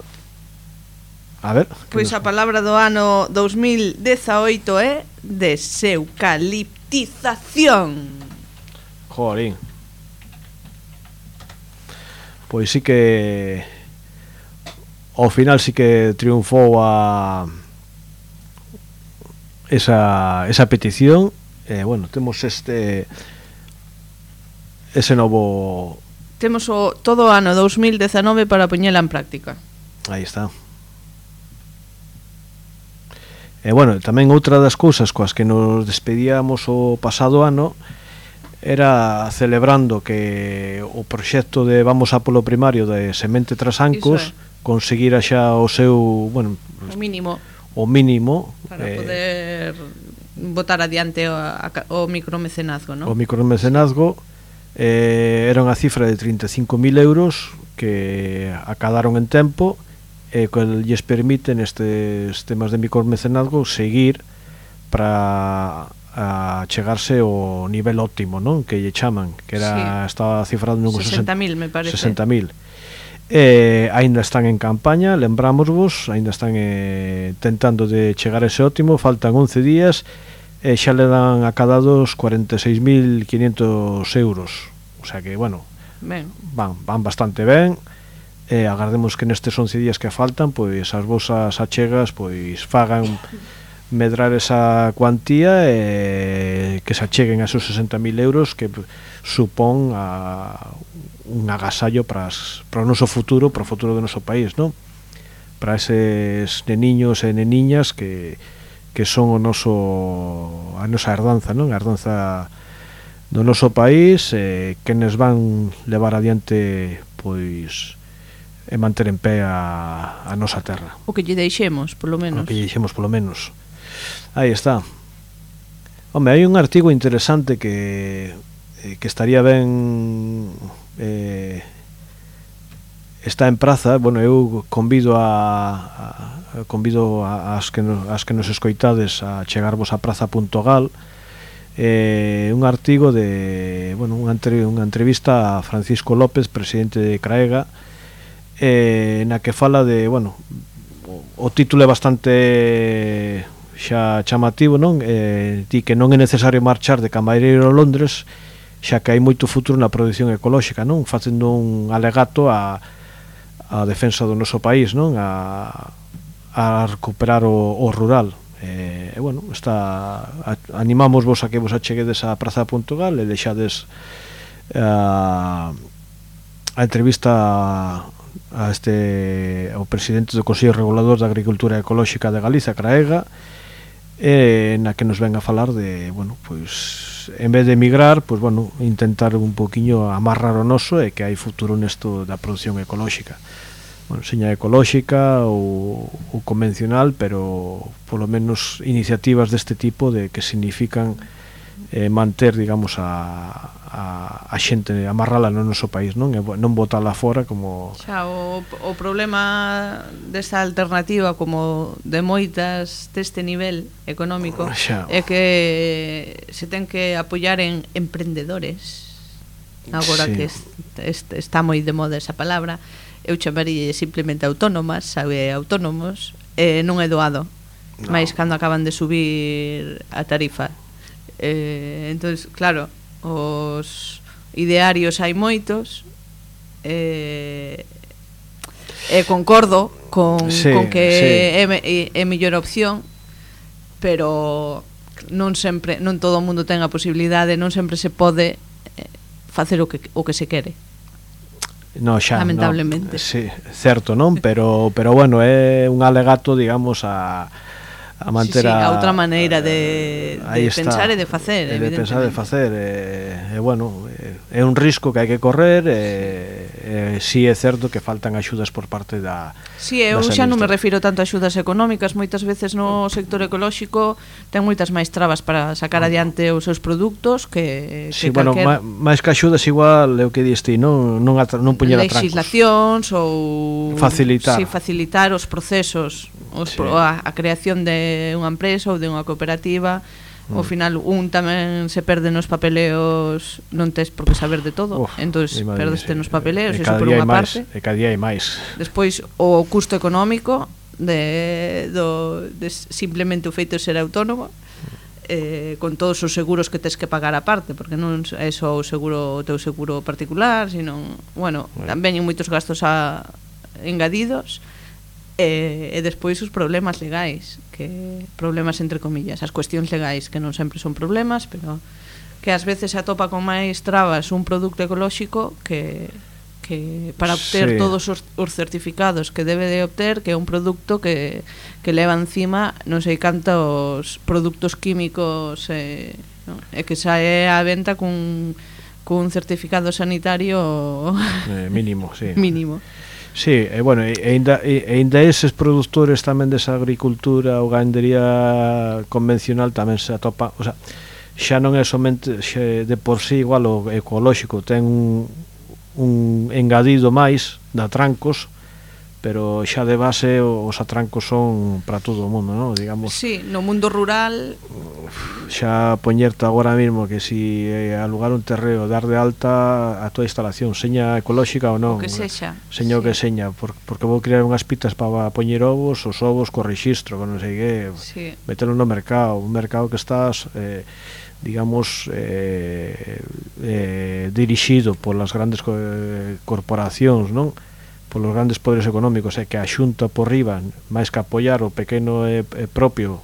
S4: a ver,
S5: pois a palabra do ano dos mil dezaoito é deseucaliptización.
S4: Jorín. Pois sí que ao final sí que triunfou a esa, esa petición. E, eh, bueno, temos este ese novo,
S5: temos o todo o ano dos mil dezanove para poñela en práctica.
S4: Aí está. E, bueno, tamén outra das cousas coas que nos despedíamos o pasado ano era celebrando que o proxecto de Vamos a polo primario de Semente Trasancos conseguira xa o seu, bueno,
S5: o mínimo
S4: o mínimo
S5: para eh, poder botar adiante o, o micromecenazgo, ¿no?
S4: O micromecenazgo eh, era unha cifra de trinta e cinco mil euros que acadaron en tempo e que lles permiten estes temas de micromecenazgo seguir para a chegarse ao nivel óptimo, non? Que lle chaman, que era, sí, estaba cifrado nun
S5: sesenta mil, me parece.
S4: sesenta mil. Eh, aínda están en campaña, lembrámosvos, aínda están eh, tentando de chegar a ese óptimo, faltan once días e eh, xa le dan acadados cuarenta e seis mil quinientos euros. O sea que, bueno,
S5: ben.
S4: van, van bastante ben. Eh, agardemos que nestes once días que faltan, pois as vosas achegas pois fagan medrar esa cuantía e que se acheguen a esos sesenta mil euros que supón a un agasallo para, as, para o noso futuro, para o futuro do noso país, non? Para eses neniños e neniñas que, que son o noso, a nosa herdanza, non? A herdanza do noso país, eh, que nos van levar adiante pois e manter en pé a, a nosa terra.
S5: O que lle deixemos, polo menos.
S4: O que lle deixemos, polo menos. Aí está. Home, hai un artigo interesante que eh, que estaría ben eh, está en praza. Bueno, eu convido a, a convido a, as que nos, as que nos escoitades a chegarvos a praza punto gal. Eh, un artigo de, bueno, unha, entre, unha entrevista a Francisco López, presidente de CRAEGA, eh, na que fala de, bueno, o, o título é bastante xa chamativo, non? Eh, di que non é necesario marchar de camareiro a Londres, xa que hai moito futuro na produción ecolóxica, non? Facendo un alegato a, a defensa do noso país, non? A, a recuperar o, o rural. E, eh, bueno, está, a, animamos vos a que vos acheguedes a praza punto gal e deixades a, a entrevista a este ao presidente do Consello Regulador da Agricultura Ecolóxica de Galiza, CRAEGA, eh, na que nos ven a falar de, bueno, pois en vez de emigrar, pois bueno, intentar un poquinho amarrar o noso e que hai futuro nesto da produción ecolóxica. Bueno, seña ecolóxica ou, ou convencional, pero polo menos iniciativas deste tipo de que significan eh, manter, digamos, a, a, a xente, amarrala no noso país, non? E non botala fora como...
S5: Xa, o, o problema desta alternativa como de moitas deste nivel económico
S4: xa,
S5: é que se ten que apoiar en emprendedores agora
S4: Sí.
S5: que es, es, está moi de moda esa palabra, eu chamaría simplemente autónomas, sabe, autónomos, eh, non é doado, no. máis cando acaban de subir a tarifa. Eh, entonces, claro, os idearios hai moitos, eh, e concordo con,
S4: sí,
S5: con que
S4: sí.
S5: é, é, é mellor opción, pero non sempre, non todo o mundo ten a posibilidade, non sempre se pode facer o que, o que se quere.
S4: No, xa,
S5: lamentablemente.
S4: No, sí, certo, non? Pero, pero bueno, é un alegato, digamos, a, a manter
S5: sí, sí,
S4: a...
S5: a outra maneira de, de pensar e de facer,
S4: de
S5: evidentemente.
S4: pensar e de facer, e, e bueno, é, é un risco que hai que correr, e, e si é certo que faltan axudas por parte da...
S5: Si, sí, eu xa non me refiro tanto a axudas económicas, moitas veces no sector ecolóxico ten moitas máis trabas para sacar adiante os seus produtos que,
S4: sí,
S5: que
S4: bueno,
S5: calquer...
S4: máis que axudas igual é o que diste, non, non, non puñer atrancos.
S5: Legislacións ou...
S4: Facilitar.
S5: Sí, facilitar os procesos, os
S4: sí.
S5: pro, a, a creación de unha empresa ou de unha cooperativa. Ao final un tamén se perde nos papeleos, non tes por que saber de todo. Uf, entonces perdeste nos papeleos, iso por unha parte.
S4: E cada día hai máis.
S5: Despois o custo económico de, do, de simplemente o feito de ser autónomo, eh, con todos os seguros que tes que pagar aparte, porque non é só o seguro, o teu seguro particular, sino, bueno, veñen moitos gastos a, engadidos. E, e despois os problemas legais, que problemas entre comillas, as cuestións legais que non sempre son problemas, pero que ás veces se atopa con máis trabas un produto ecolóxico que, que para obter sí. todos os, os certificados que debe de obter, que é un produto que, que leva encima non sei cantos produtos químicos eh, no? e que sae á venta cun, cun certificado sanitario
S4: eh, mínimo, sí.
S5: mínimo.
S4: Sí, e bueno, e ainda, e ainda eses produtores tamén desa agricultura ou gandería convencional tamén se atopa, o sea, xa non é somente xe, de por sí igual o ecolóxico, ten un, un engadido máis de atrancos, pero xa de base os atrancos son para todo o mundo, non? Digamos.
S5: Sí, no mundo rural
S4: xa poñerte agora mesmo que si eh, alugar un terreo, dar de alta a toda a instalación, seña ecolóxica ou non,
S5: o que sexa,
S4: seña
S5: sí.
S4: o que seña, por, porque vou crear unhas pitas para poñer ovos, os ovos co rexistro, con non sei que,
S5: sí.
S4: metelo no mercado, un mercado que estás eh, digamos eh, eh, dirixido polas grandes co eh, corporacións, non? Polos grandes poderes económicos, e que a xunta por riba, máis que apoiar o pequeno e, e propio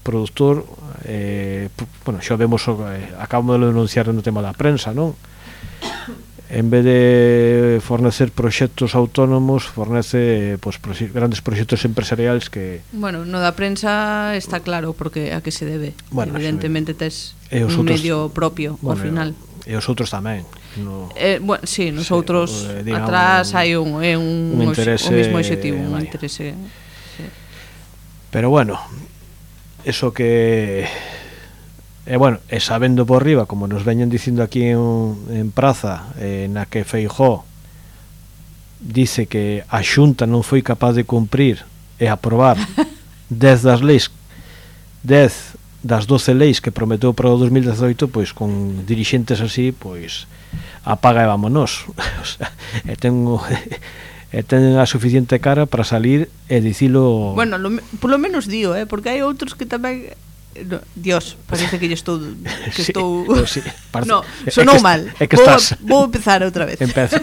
S4: produtor, eh, bueno, xa vemos, eh, acabamos de denunciar no tema da prensa, non? En vez de fornecer proxectos autónomos, fornece pues, proxe grandes proxectos empresariales que...
S5: Bueno, no da prensa está claro porque a que se debe. Bueno, evidentemente tes un outros, medio propio, bueno, ao final.
S4: E os outros tamén. No,
S5: eh, bueno, sí, nos sí, outros eh, digamos, atrás hai un, eh, un,
S4: un interese,
S5: o mismo objetivo, un
S4: vaya.
S5: interese. Sí.
S4: Pero bueno, eso que... E bueno, e sabendo por riba, como nos veñen dicindo aquí en, en Praza, eh, na que Feijóo dice que a Xunta non foi capaz de cumprir e aprobar dez das leis, dez das doce leis que prometeu para o dos mil dezoito, pois con dirixentes así, pois apaga e vámonos. O sea, e ten e ten a suficiente cara para salir e dicilo.
S5: Bueno, lo, polo menos dio, eh, porque hai outros que tamén no, Dios, parece que yo estou que
S4: sí,
S5: estou
S4: sí, parece,
S5: no, sonou
S4: é que,
S5: mal.
S4: É que
S5: vou,
S4: estás.
S5: vou empezar outra vez.
S4: Empeza.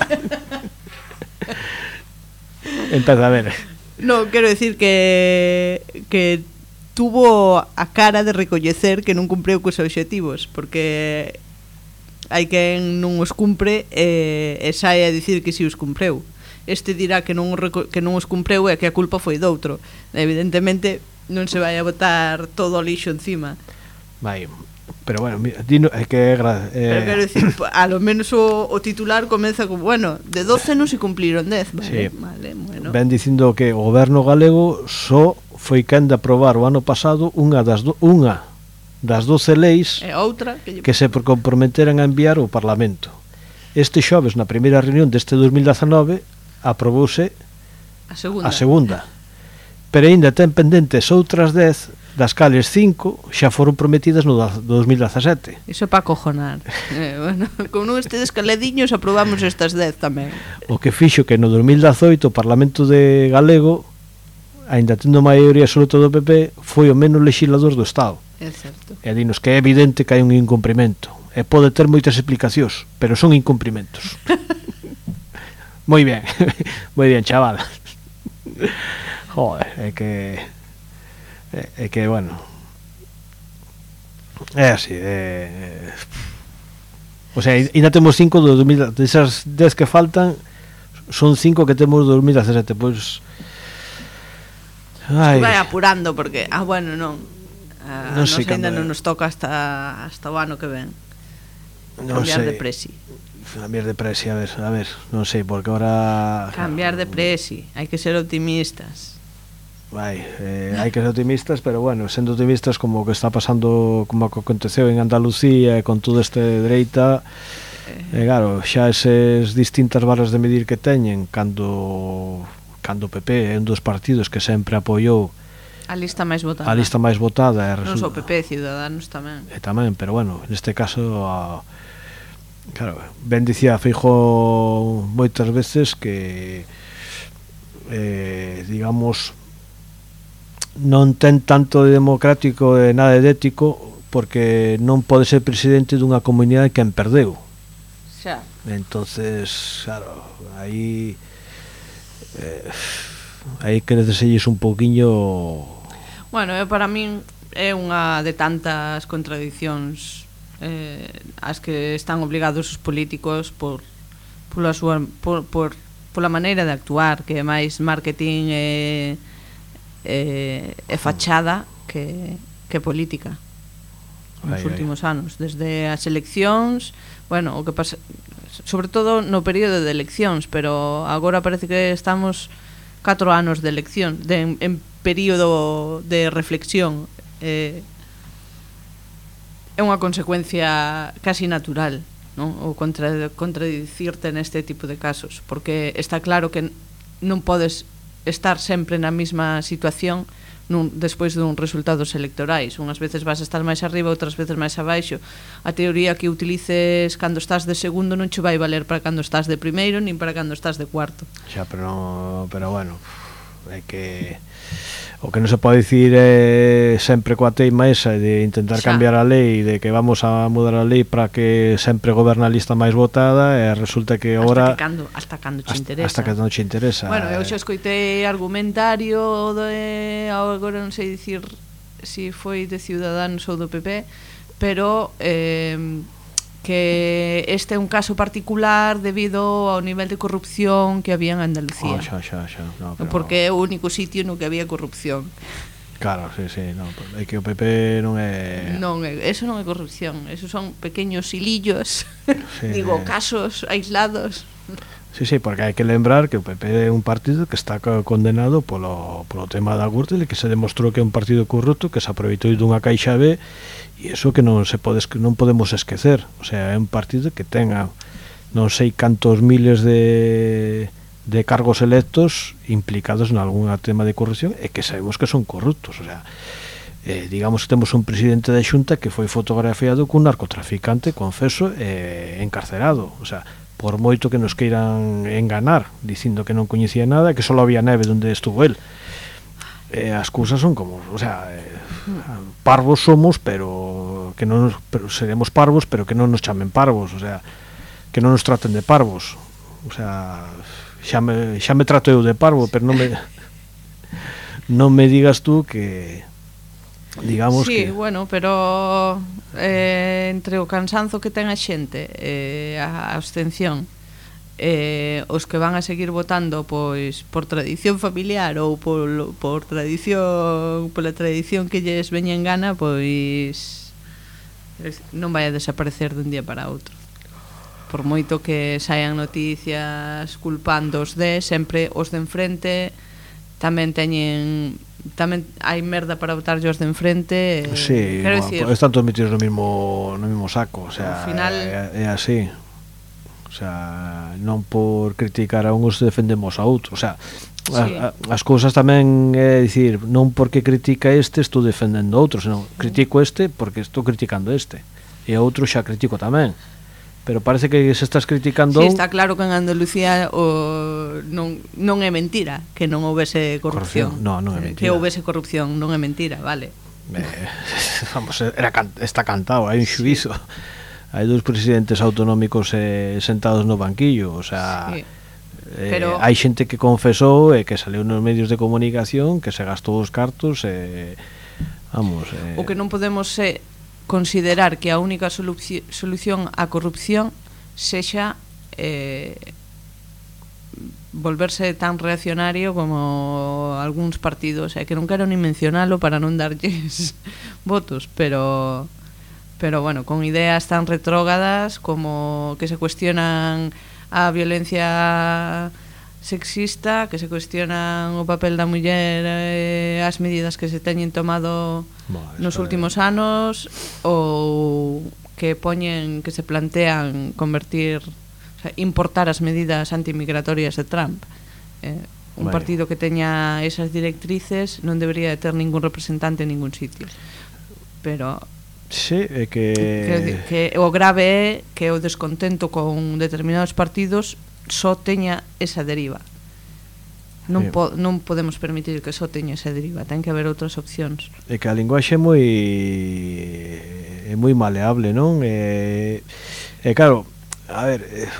S4: Empeza a ver.
S5: No, quero decir que que tuvo a cara de recoñecer que non cumpreu cos obxectivos, porque hai quen non os cumpre e, e sae a dicir que si os cumpreu. Este dirá que non, que non os cumpreu e que a culpa foi doutro. Evidentemente non se vai a botar todo o lixo encima.
S4: Vai, pero bueno, mira, dino, é que é gra, eh...
S5: Pero quero dicir, a lo menos o, o titular comeza como, bueno, de doce non se cumpliron dez, vale,
S4: sí.
S5: Vale, bueno.
S4: Ven dicindo que o goberno galego só foi quen de aprobar o ano pasado unha das do, unha das doce leis
S5: e outra que, lle...
S4: que se comprometeran a enviar ao Parlamento. Este xoves, na primeira reunión deste dos mil dezanove, aprobouse
S5: a segunda.
S4: A segunda. Pero aínda ten pendentes outras dez das cales cinco xa foron prometidas no dos mil dezasete.
S5: Iso é para acojonar. eh, bueno, con non estedes calediños aprobamos estas dez tamén.
S4: O que fixo que no dos mil dezoito o Parlamento de Galego, aínda tendo maioría absoluta do P P, foi o menos legislador do Estado.
S5: É certo.
S4: E dinos que é evidente que hai un incumprimento. E pode ter moitas explicacións, pero son incumprimentos. Moi ben, moi ben, chaval. Joder, é que é, é que, bueno, é así, é, é, o sea, ainda temos cinco do dos mil, desas dez que faltan son cinco que temos do dos mil dezasete, pois
S5: ai, vai apurando porque, ah, bueno, non a
S4: non
S5: nos
S4: sei
S5: ainda
S4: cando,
S5: non nos toca hasta hasta o ano que ven.
S4: Non
S5: cambiar
S4: sei.
S5: de presi.
S4: Cambiar de presi, a ver, a ver, non sei, porque ahora
S5: cambiar de presi, hai que ser optimistas.
S4: Vai, eh, hai que ser optimistas, pero bueno, sendo optimistas como que está pasando, como que aconteceu en Andalucía e con todo este dereita, eh, claro, xa eses distintas varas de medir que teñen cando cando o P P é un dos partidos que sempre apoiou
S5: a lista máis votada.
S4: A lista máis votada,
S5: non só o P P, Ciudadanos tamén.
S4: E tamén, pero bueno, neste caso a, claro, ben dicía Feijóo moitas veces que eh, digamos non ten tanto de democrático e nada de ético porque non pode ser presidente dunha comunidade que en perdeu.
S5: Xa.
S4: Entonces, claro, aí eh, aí que neceselles un pouquiño.
S5: Bueno, eh, para min é unha de tantas contradicións eh, as que están obligados os políticos por pola súa por, por pola maneira de actuar, que é máis marketing e e, e fachada que, que política nos
S4: ai,
S5: últimos
S4: ai.
S5: anos, desde as eleccións, bueno, o que pasa sobre todo no período de eleccións, pero agora parece que estamos catro anos de elección, de, en, en período de reflexión. eh, é unha consecuencia casi natural, non? O contra, contradicirte neste tipo de casos, porque está claro que non podes estar sempre na mesma situación nun, despois dun resultados electorais. Unhas veces vas a estar máis arriba, outras veces máis abaixo. A teoría que utilices cando estás de segundo non che vai valer para cando estás de primeiro nin para cando estás de cuarto.
S4: Xa, pero, pero bueno, é que o que non se pode dicir é sempre coa teima esa de intentar
S5: Xa.
S4: cambiar a lei, de que vamos a mudar a lei para que sempre goberna a lista máis votada e resulta que agora
S5: hasta que cando, hasta cando che
S4: hasta,
S5: interesa.
S4: hasta que non che interesa.
S5: Bueno, eu xa escoitei argumentario de, agora non sei dicir se si foi de Ciudadanos ou do P P, pero eh, que este é un caso particular debido ao nivel de corrupción que había en Andalucía.
S4: Oh, xa, xa, xa. No, pero...
S5: Porque é o único sitio no que había corrupción.
S4: Claro, sí, sí, no, é que o P P non é...
S5: Non, eso non é corrupción, eso son pequeños hilillos,
S4: sí,
S5: digo, casos aislados.
S4: Sí, sí, porque hai que lembrar que o P P é un partido que está condenado polo, polo tema da Gürtel e que se demostrou que é un partido corrupto que se aproveitou dunha caixa B e iso que non se pode, non podemos esquecer. O sea, é un partido que tenga non sei cantos miles de, de cargos electos implicados en algún tema de corrupción e que sabemos que son corruptos. O sea, eh, digamos que temos un presidente da Xunta que foi fotografiado cun narcotraficante confeso e encarcerado. O sea, por moito que nos queiran enganar dicindo que non coñecía nada, que só había neve onde estuvo el. Eh, as cousas son como, o sea, eh, parvos somos, pero que non nos, pero seremos parvos, pero que non nos chamen parvos, o sea, que non nos traten de parvos. O sea, xa me, xa me trato eu de parvo, pero non me non me digas tú que digamos
S5: sí,
S4: que...
S5: bueno, pero eh, entre o cansanzo que ten a xente e eh, a abstención eh, os que van a seguir votando pois por tradición familiar ou por, por tradición pola tradición que lles veña en gana, pois non vai a desaparecer dun día para outro. Por moito que saian noticias culpando os de, sempre os de enfrente tamén teñen tamén hai merda para votar os de enfrente.
S4: Sí,
S5: quero
S4: bueno,
S5: dicir,
S4: están todos metidos no mismo no mismo saco, o sea,
S5: ao final
S4: é, é así. O sea, non por criticar a uns defendemos a outros, o sea, sí. a, a, as cousas tamén é dicir, non porque critica este estou defendendo outro, senón critico este porque estou criticando este e outro xa critico tamén. Pero parece que se estás criticando...
S5: Sí, está claro que en Andalucía o, non, non é mentira que non houvese corrupción.
S4: corrupción. No, non é mentira.
S5: Que houvese corrupción, non é mentira, vale.
S4: Eh, vamos, era, está cantado, hai un xuízo. Hai dous presidentes autonómicos eh, sentados no banquillo, o sea... Sí. Eh, pero... hai xente que confesou e eh, que saliu nos medios de comunicación que se gastou os cartos e... Eh, vamos... Eh...
S5: O que non podemos é... Eh, considerar que a única solución á corrupción sexa eh, volverse tan reaccionario como algúns partidos, eh, que non quero ni mencionalo para non darlles votos, pero pero bueno, con ideas tan retrógadas como que se cuestionan a violencia sexista, que se cuestionan o papel da muller e eh, as medidas que se teñen tomado bueno, nos últimos é... anos, ou que poñen, que se plantean convertir, o sea, importar as medidas antimigratorias de Trump. Eh, un bueno. partido que teña esas directrices non debería de ter ningún representante en ningún sitio. Pero
S4: sí, é que...
S5: que que o grave é que o descontento con determinados partidos só teña esa deriva. Non, sí. po, non podemos permitir que só teña esa deriva, ten que haber outras opcións.
S4: É que a linguaxe é moi é moi maleable, non? É, é claro, a ver,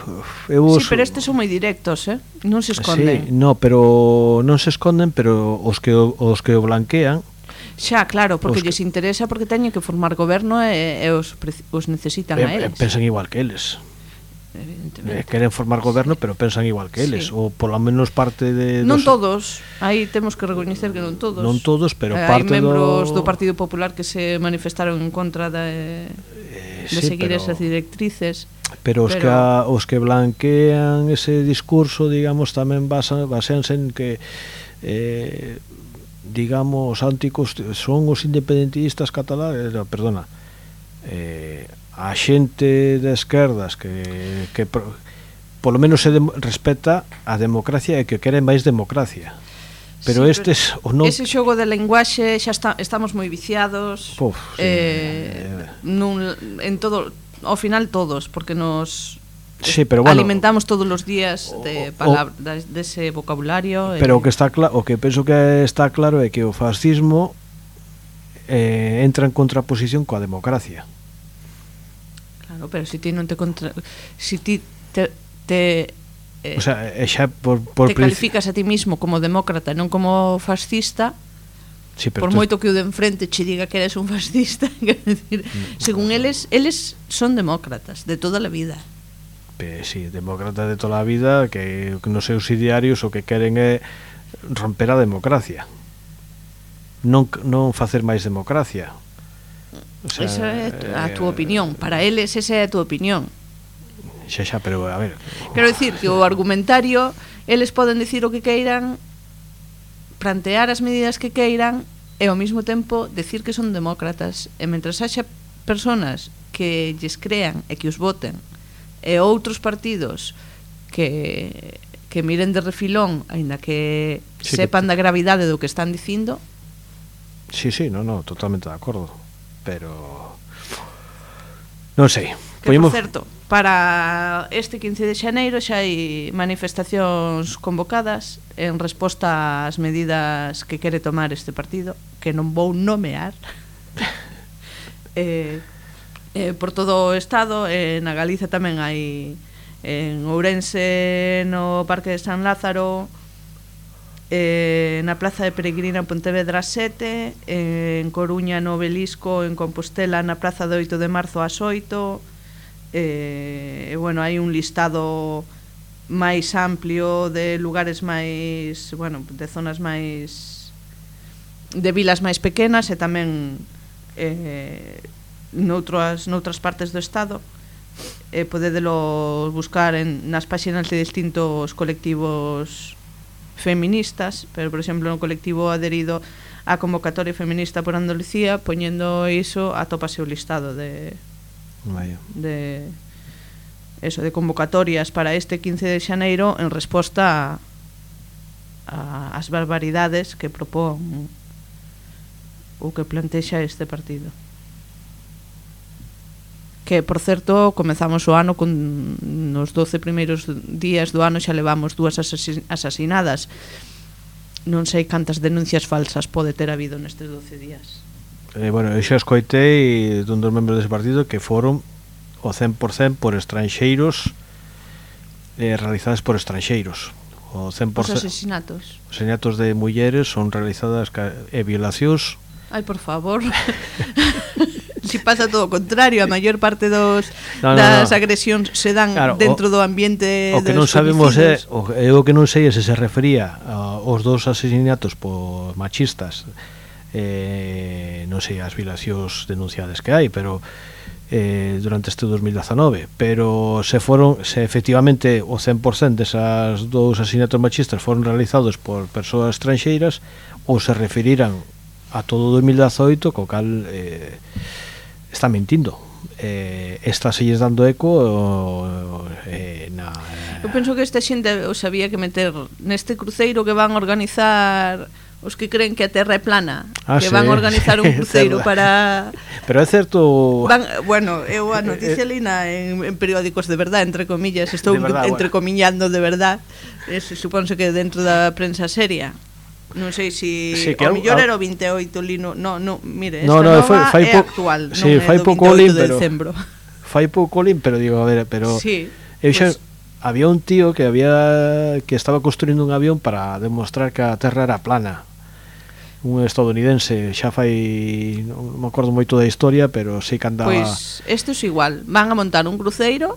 S4: eu
S5: sí, pero estes son moi directos, eh? Non se esconden.
S4: Sí, no, pero non se esconden, pero os que os que o blanquean
S5: xa, claro, porque lles que... interesa, porque teñen que formar goberno e, e os, os necesitan
S4: e,
S5: a eles.
S4: Pensan igual que eles. Eh, queren formar goberno, pero pensan igual que eles, sí. Ou polo menos parte de...
S5: Non dos... todos, aí temos que recoñecer que non todos.
S4: Non todos, pero
S5: eh,
S4: parte
S5: do... Hai membros
S4: do...
S5: do Partido Popular que se manifestaron en contra de, eh, de sí, seguir pero... esas directrices.
S4: Pero os, pero... Que a, os que blanquean ese discurso, digamos, tamén basan, basense en que... Eh, digamos, anticos son os independentistas catalanes, no, perdona, eh, a xente de esquerdas que, que pro, polo menos se de, respeta a democracia e que queren máis democracia. Pero sí, estes
S5: pero
S4: o non...
S5: ese xogo de lenguaxe xa está, estamos moi viciados.
S4: Puf, sí,
S5: eh, eh. Nun, en todo, ao final todos, porque nos
S4: sí, pero bueno,
S5: alimentamos todos os días de palabras, de ese vocabulario.
S4: Pero
S5: eh.
S4: o que está claro, o que penso que está claro é que o fascismo eh, entra en contraposición coa democracia.
S5: Claro, pero se ti non te contra... si ti te, te eh,
S4: o sea, xa por, por
S5: te calificas a ti mismo como demócrata, non como fascista, sí, por moito que o de enfrente che diga que eres un fascista, quer decir, según eles, eles son demócratas de toda a vida.
S4: Pe, sí, demócratas de toda a vida que, que nos seus idearios o que queren é romper a democracia. Non, non facer máis democracia.
S5: O sea, esa é a túa opinión. Para eles esa é a túa opinión.
S4: Xa, xa, pero a ver,
S5: quero dicir que o argumentario, eles poden dicir o que queiran, plantear as medidas que queiran e ao mesmo tempo decir que son demócratas, e mentras haxa personas que lles crean e que os voten, e outros partidos que que miren de refilón, aínda que sí, sepan que... da gravidade do que están dicindo.
S4: Sí, sí, no, no, totalmente de acordo. Pero non sei.
S5: Que, por certo, para este quince de xaneiro xa hai manifestacións convocadas en resposta ás medidas que quere tomar este partido, que non vou nomear. eh, eh, por todo o estado, eh, na Galiza tamén hai en Ourense, no Parque de San Lázaro, eh, na Plaza de Peregrina en Pontevedra sete, eh, en Coruña no Obelisco, en Compostela na Praza de oito de marzo ás oito, eh, e bueno, hai un listado máis amplio de lugares máis, bueno, de zonas máis, de vilas máis pequenas e tamén eh, noutras, noutras partes do estado. Eh, podedelo buscar en, nas páxinas de distintos colectivos feministas, pero por exemplo no colectivo adherido á convocatoria feminista por Andalucía, poñendo iso atópase o listado de
S4: Vaya.
S5: de eso, de convocatorias para este quince de xaneiro en resposta a, as barbaridades que propón o que plantexa este partido. Que, por certo, comezamos o ano con nos doce primeiros días do ano xa levamos dúas asasin asasinadas. Non sei cantas denuncias falsas pode ter habido nestes doce días.
S4: Eh, bueno, eu xa escoitei dun dos membros dese partido que foron o cen por cen por estranxeiros, eh, realizadas por estranxeiros. O cen por cen
S5: Os asesinatos.
S4: Os asesinatos de mulleres son realizadas e violacións.
S5: Ai, por favor. Si pasa todo o contrario, a maior parte dos
S4: no, no,
S5: das
S4: no.
S5: agresións se dan
S4: claro,
S5: dentro
S4: o,
S5: do ambiente
S4: o que
S5: dos
S4: non sabemos é,
S5: homicidios.
S4: o, eu o que non sei é se se refería aos dous asesinatos por machistas, eh, non sei as violacións denunciadas que hai, pero eh, durante este dos mil dezanove, pero se foron, se efectivamente o cen por cen desas dous asesinatos machistas foron realizados por persoas estranxeiras ou se referiran a todo o dos mil dezoito, co cal eh, está mentindo. Eh, está selles dando eco eh, na,
S5: Eu penso que esta xente os había que meter neste cruceiro que van a organizar os que creen que a Terra é plana,
S4: ah,
S5: que
S4: sí.
S5: van a organizar un cruceiro para...
S4: Pero é certo...
S5: Van, bueno, eu a noticia lina en, en periódicos de verdad, entre comillas, estou de verdad, entrecomillando bueno. de verdad, es, suponse que dentro da prensa seria. Non sei se si, sí, o mellor era o vinte e oito lino, no, no, mire, esta no, no, nova fai, fai é actual,
S4: sí,
S5: non é do
S4: vinte e oito
S5: de decembro.
S4: Fai pouco lin, pero digo, a ver, pero
S5: sí,
S4: eu xa,
S5: pues,
S4: había un tío que había que estaba construindo un avión para demostrar que a Terra era plana. Un estadounidense, xa fai, non me acordo moito da historia, pero sei que andaba...
S5: Pois, isto é igual, van a montar un cruceiro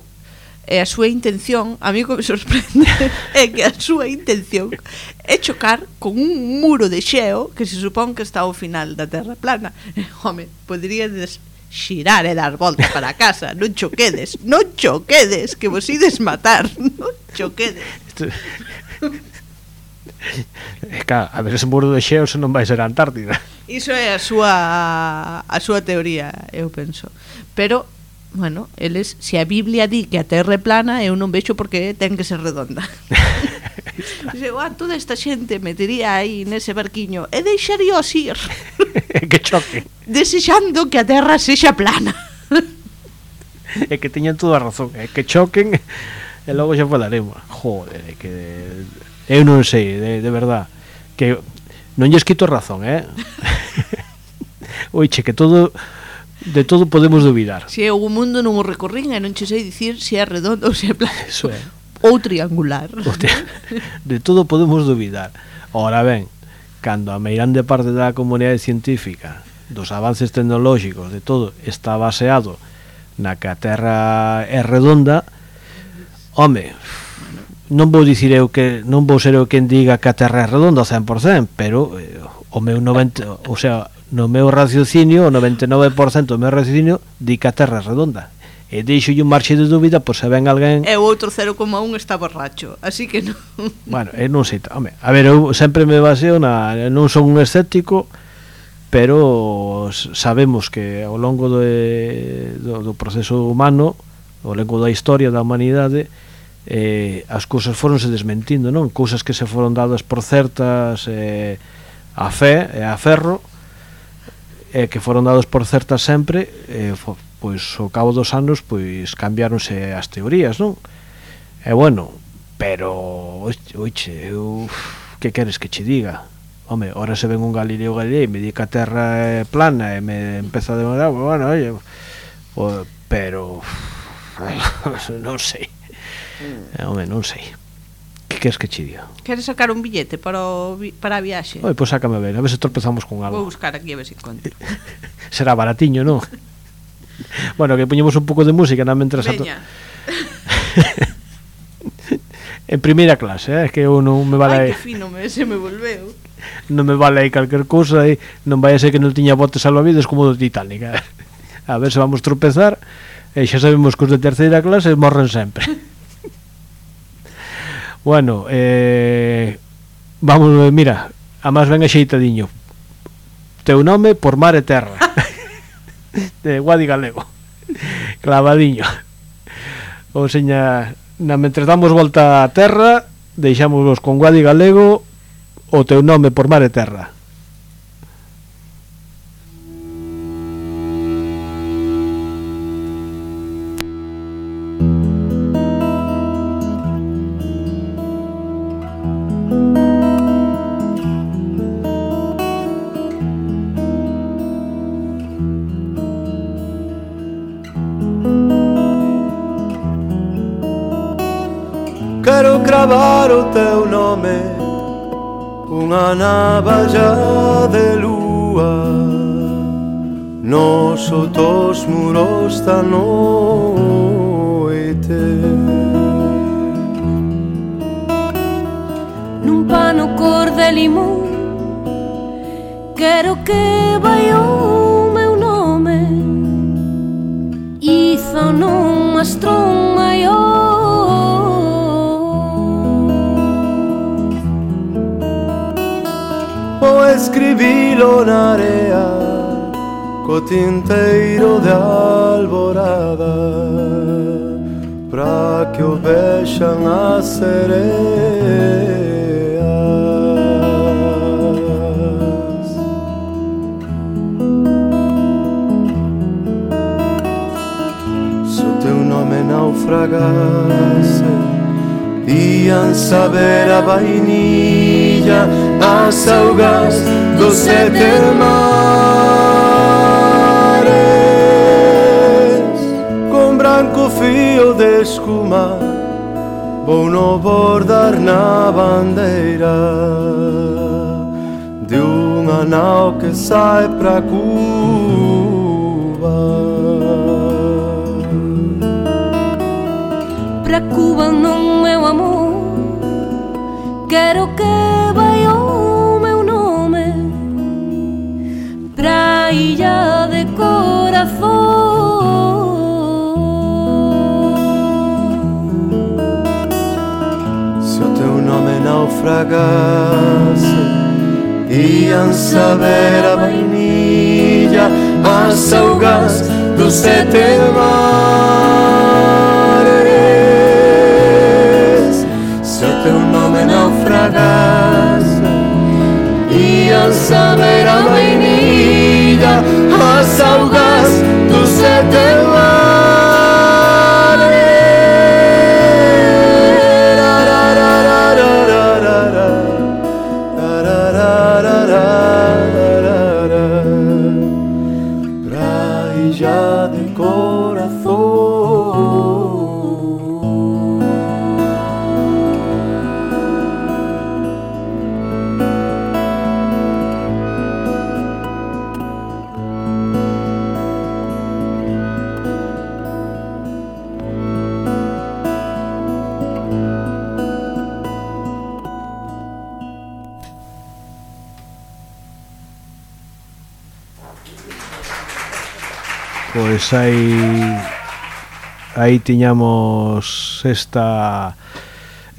S5: e a súa intención, a mí que me sorprende é que a súa intención é chocar con un muro de xeo que se supón que está ao final da Terra plana. Home, poderíades xirar e dar volta para casa, non choquedes, non choquedes, que vos ides matar, non choquedes.
S4: Claro, a ver, ese muro de xeo se non vai ser a Antártida.
S5: Iso é a súa a súa teoría, eu penso. Pero bueno, eles, se a Biblia di que a Terra é plana, eu non vexo porque ten que ser redonda. Dice, ah, toda esta xente metería aí nese barquiño e deixaríos ir.
S4: Que choque.
S5: Desexando que a Terra sexa plana.
S4: É que teñan toda a razón, é que choquen e logo xa falaremos. Joder, é que eu non sei, de, de verdad, que non lles quito razón, eh? Oiche, que todo de todo podemos dubidar.
S5: Se o mundo non o recorrín e non che sei dicir se é redondo ou se é plano.
S4: Eso é.
S5: Ou triangular.
S4: De todo podemos dubidar. Ora ben, cando a meirande parte da comunidade científica, dos avances tecnolóxicos, de todo, está baseado na que a Terra é redonda, home, non vou dicir eu que non vou ser eu quen diga que a Terra é redonda ao cen por cen, pero eh, o meu noventa, o sea, no meu raciocinio, o noventa e nove por cento do meu raciocinio di que a Terra é redonda. E deixo un marxe de dúbida por se ven alguén...
S5: E o outro cero coma un está borracho, así que non...
S4: Bueno, eu non sei... Home, a ver, eu sempre me baseo na... Non son un escéptico, pero sabemos que ao longo de, do, do proceso humano, ao longo da historia da humanidade, eh, as cousas foronse desmentindo, non? Cousas que se foron dadas por certas eh, a fe e a ferro, eh, que foron dados por certas sempre, eh, fo, pois ao cabo dos anos pois cambiáronse as teorías, non? E bueno, pero oiche, eu que queres que che diga? Home, ahora se ven un Galileo Galilei e me di que a Terra é plana e me empeza a demorar, bueno, oye, o, pero non sei. Home, non sei. Que queres que che diga?
S5: Queres sacar un billete para, o, para a viaxe?
S4: Oi, pois sácame a ver, a ver se tropezamos con algo.
S5: Vou buscar aquí a ver se encontro.
S4: Será baratiño, non? Bueno, que poñemos un pouco de música na mentras a to... En primeira clase, eh? Que eu non me vale...
S5: Ai, que fino me, se me volveu.
S4: Non me vale aí calquer cousa e non vai a ser que non tiña botes salvavidas como do Titanic, eh? A ver se vamos tropezar e xa sabemos que os de terceira clase morren sempre. Bueno, eh, vamos, mira, a máis ben axeitadiño. Teu nome por mar e terra. De Guadi Galego. Clavadiño. Ou seña, na mentres damos volta a terra, deixámosvos con Guadi Galego O teu nome por mar e terra.
S13: Quero cravar o teu nome, unha navalla de lúa nos outros muros da noite.
S14: Nun pano cor de limón, quero que vai o meu nome, izo nun mastrón maior.
S13: Vou escribilo na area co tinteiro de alborada, pra que o vexan as sereas. Se o teu nome naufragase, ian saber a vainilla, as augas dos sete mares. Con branco fío de escuma vou no bordar na bandeira de unha nau que sai pra Cuba.
S14: Pra Cuba non, meu amor, quero que vai o meu nome, pra illa de corazón.
S13: Se o teu nome naufragase, ian saber a vainilla, as augas dos sete mares. Se o teu nome naufragase, ian saber a vainilla, as augas dos sete mares. Praia de corazón.
S4: Pois aí aí tiñamos esta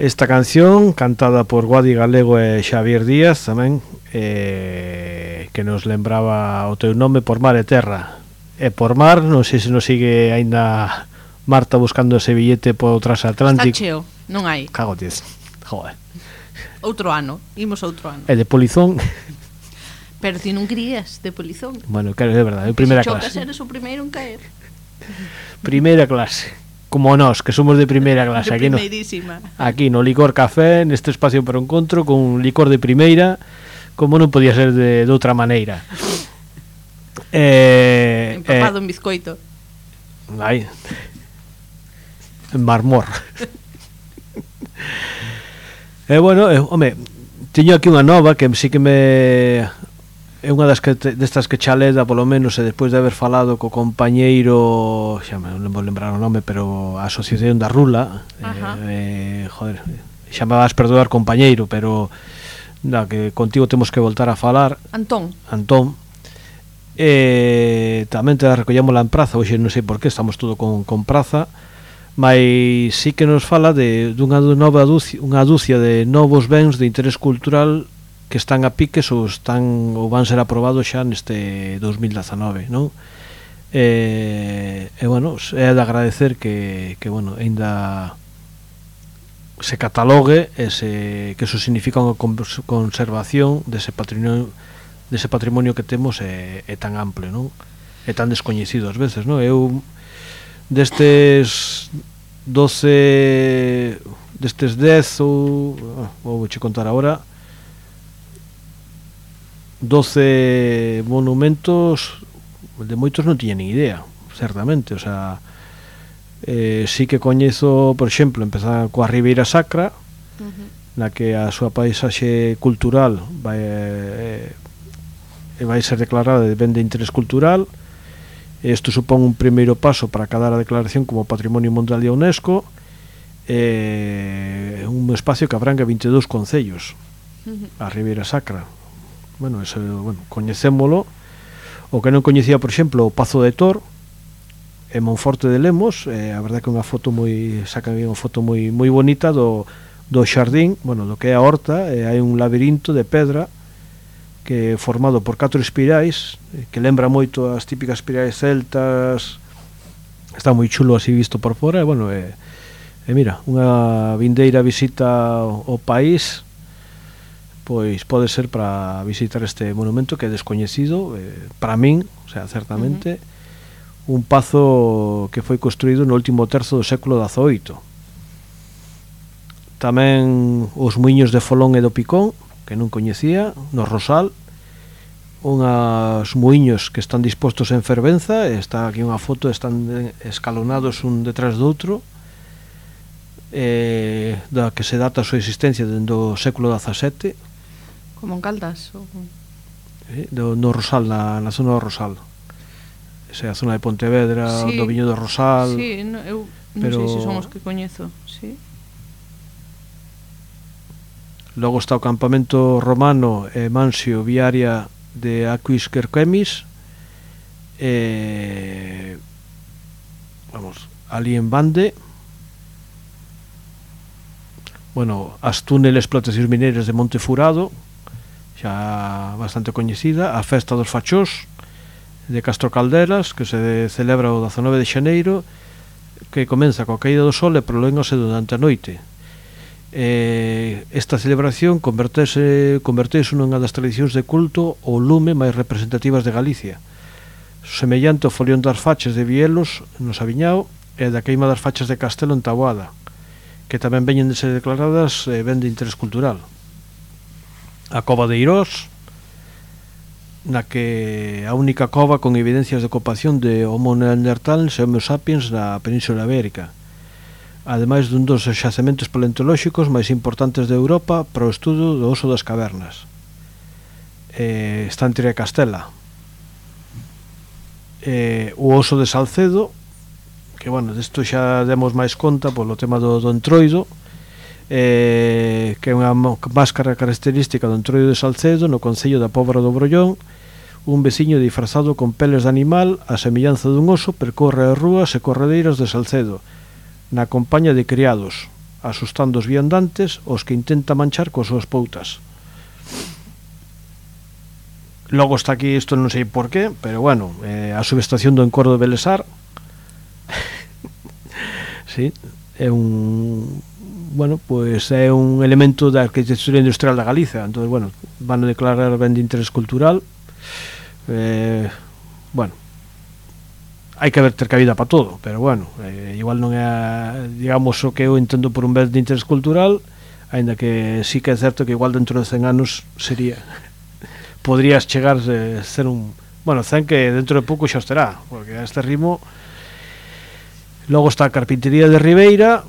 S4: esta canción cantada por Guadi Galego e Xavier Díaz tamén, eh, que nos lembraba o teu nome por mar e terra. E por mar, non sei se nos sigue aínda Marta buscando ese billete por transatlántico.
S5: Está cheo, non hai.
S4: Cago tes. Joder.
S5: Outro ano, imos outro ano.
S4: E de polizón.
S5: Pero ti non querías de polizón.
S4: Bueno, claro, é verdade, é primeira clase.
S5: Se chocas eres o primeiro en caer.
S4: Primeira clase. Como nós, que somos de primeira clase.
S5: De
S4: aquí no,
S5: primeirísima.
S4: aquí no Licor Café, neste espacio para o encontro, con licor de primeira, como non podía ser de, de outra maneira. Eh,
S5: Empapado
S4: eh,
S5: en bizcoito.
S4: Ai. En marmor. E eh, bueno, eh, home, teño aquí unha nova que sí que me é unha das que te, destas que chaleda polo menos, e despois de haber falado co compañeiro, xa me non vou lembrar o nome, pero a Asociación da Rula, eh, eh, joder, xa me vas perdoar compañeiro, pero na, que contigo temos que voltar a falar.
S5: Antón.
S4: Antón. Eh, tamén te la recollémola en praza, hoxe non sei por que estamos todo con, con praza, mas sí que nos fala de dunha nova dúcia, unha dúcia de novos bens de interés cultural que están a piques ou están ou van ser aprobados xa neste dos mil dezanove, non? E, e bueno, é de agradecer que, que bueno, ainda se catalogue ese, que eso significa unha conservación dese patrimonio dese patrimonio que temos é, é tan amplio, non? É tan descoñecido ás veces, non? Eu destes doce destes dez ou vou che contar agora doce monumentos de moitos non tiña nin idea, certamente, o sea, eh, sí que coñezo, por exemplo, empezar coa Ribeira Sacra, uh-huh. na que a súa paisaxe cultural vai, eh, vai ser declarada de ben de interés cultural. Isto supón un primeiro paso para cadar a declaración como Patrimonio Mundial de UNESCO, eh, un espacio que abrangue vinte e dous concellos, uh-huh. a Ribeira Sacra. Bueno, eso, bueno, coñecémolo. O que non coñecía, por exemplo, o Pazo de Tor en Monforte de Lemos, eh, a verdade que unha foto moi saca unha foto moi moi bonita do do xardín, bueno, do que é a horta, eh, hai un labirinto de pedra que é formado por catro espirais, eh, que lembra moito as típicas espirais celtas. Está moi chulo así visto por fora, e bueno, eh, e mira, unha vindeira visita ao, ao país, pois pode ser para visitar este monumento que é descoñecido, eh, para min, o sea, certamente, uh-huh. un pazo que foi construído no último terzo do século dezaoito. Tamén os muiños de Folón e do Picón, que non coñecía, no Rosal, unhas muiños que están dispostos en fervenza, está aquí unha foto, están escalonados un detrás do outro, eh, da que se data a súa existencia dende o século dezasete.
S5: Como en Caldas? Ou...
S4: Eh, do, no Rosal, na, na zona do Rosal. Esa é a zona de Pontevedra, sí. do Viño do Rosal.
S5: Sí, no, eu non
S4: pero...
S5: sei se son os que coñezo, sí.
S4: Logo está o campamento romano e Mansio Viaria de Aquis Querquemis, eh, vamos, ali en Bande. Bueno, as túneles explotacións mineiras de Monte Furado, xa bastante coñecida. A festa dos fachós de Castro Calderas, que se celebra o dezanove de xaneiro, que comeza coa caída do sol e prolóngase durante a noite. Eh, esta celebración convertese, convertese nunha das tradicións de culto ou lume máis representativas de Galicia, semellante ao folión das fachas de Vielos no Sabiñao e da queima das fachas de Castelo en Taboada, que tamén veñen de ser declaradas eh, ben de interés cultural. A cova de Irós, na que a única cova con evidencias de ocupación de Homo neanderthals e Homo sapiens na Península Ibérica, ademais dun dos xacementos paleontolóxicos máis importantes de Europa para o estudo do oso das cavernas. Eh, está en Tria Castela. Eh, o oso de Salcedo, que, bueno, desto xa demos máis conta polo tema do, do entroido, eh, que é unha máscara característica do entroido de Salcedo no concello da Póvoa do Brollón. Un veciño disfrazado con peles de animal, a semellanza dun oso, percorre as rúas e corredeiras de Salcedo na compañía de criados, asustando os viandantes, os que intenta manchar coas súas poutas. Logo está aquí, isto non sei por qué, pero bueno, eh, a subestación do Encordo de Belesar. Sí, é un... bueno, pois é un elemento da arquitectura industrial da Galiza. Entón, bueno, van a declarar ben de interés cultural. Eh, bueno, hai que ver ter cabida para todo, pero bueno, eh, igual non é, digamos, o que eu entendo por un ben de interés cultural, aínda que sí que é certo que igual dentro de cen anos sería podrías chegar a ser un, bueno, cen que dentro de pouco xa os terá, porque a este ritmo. Logo está a Carpintería de Ribeira,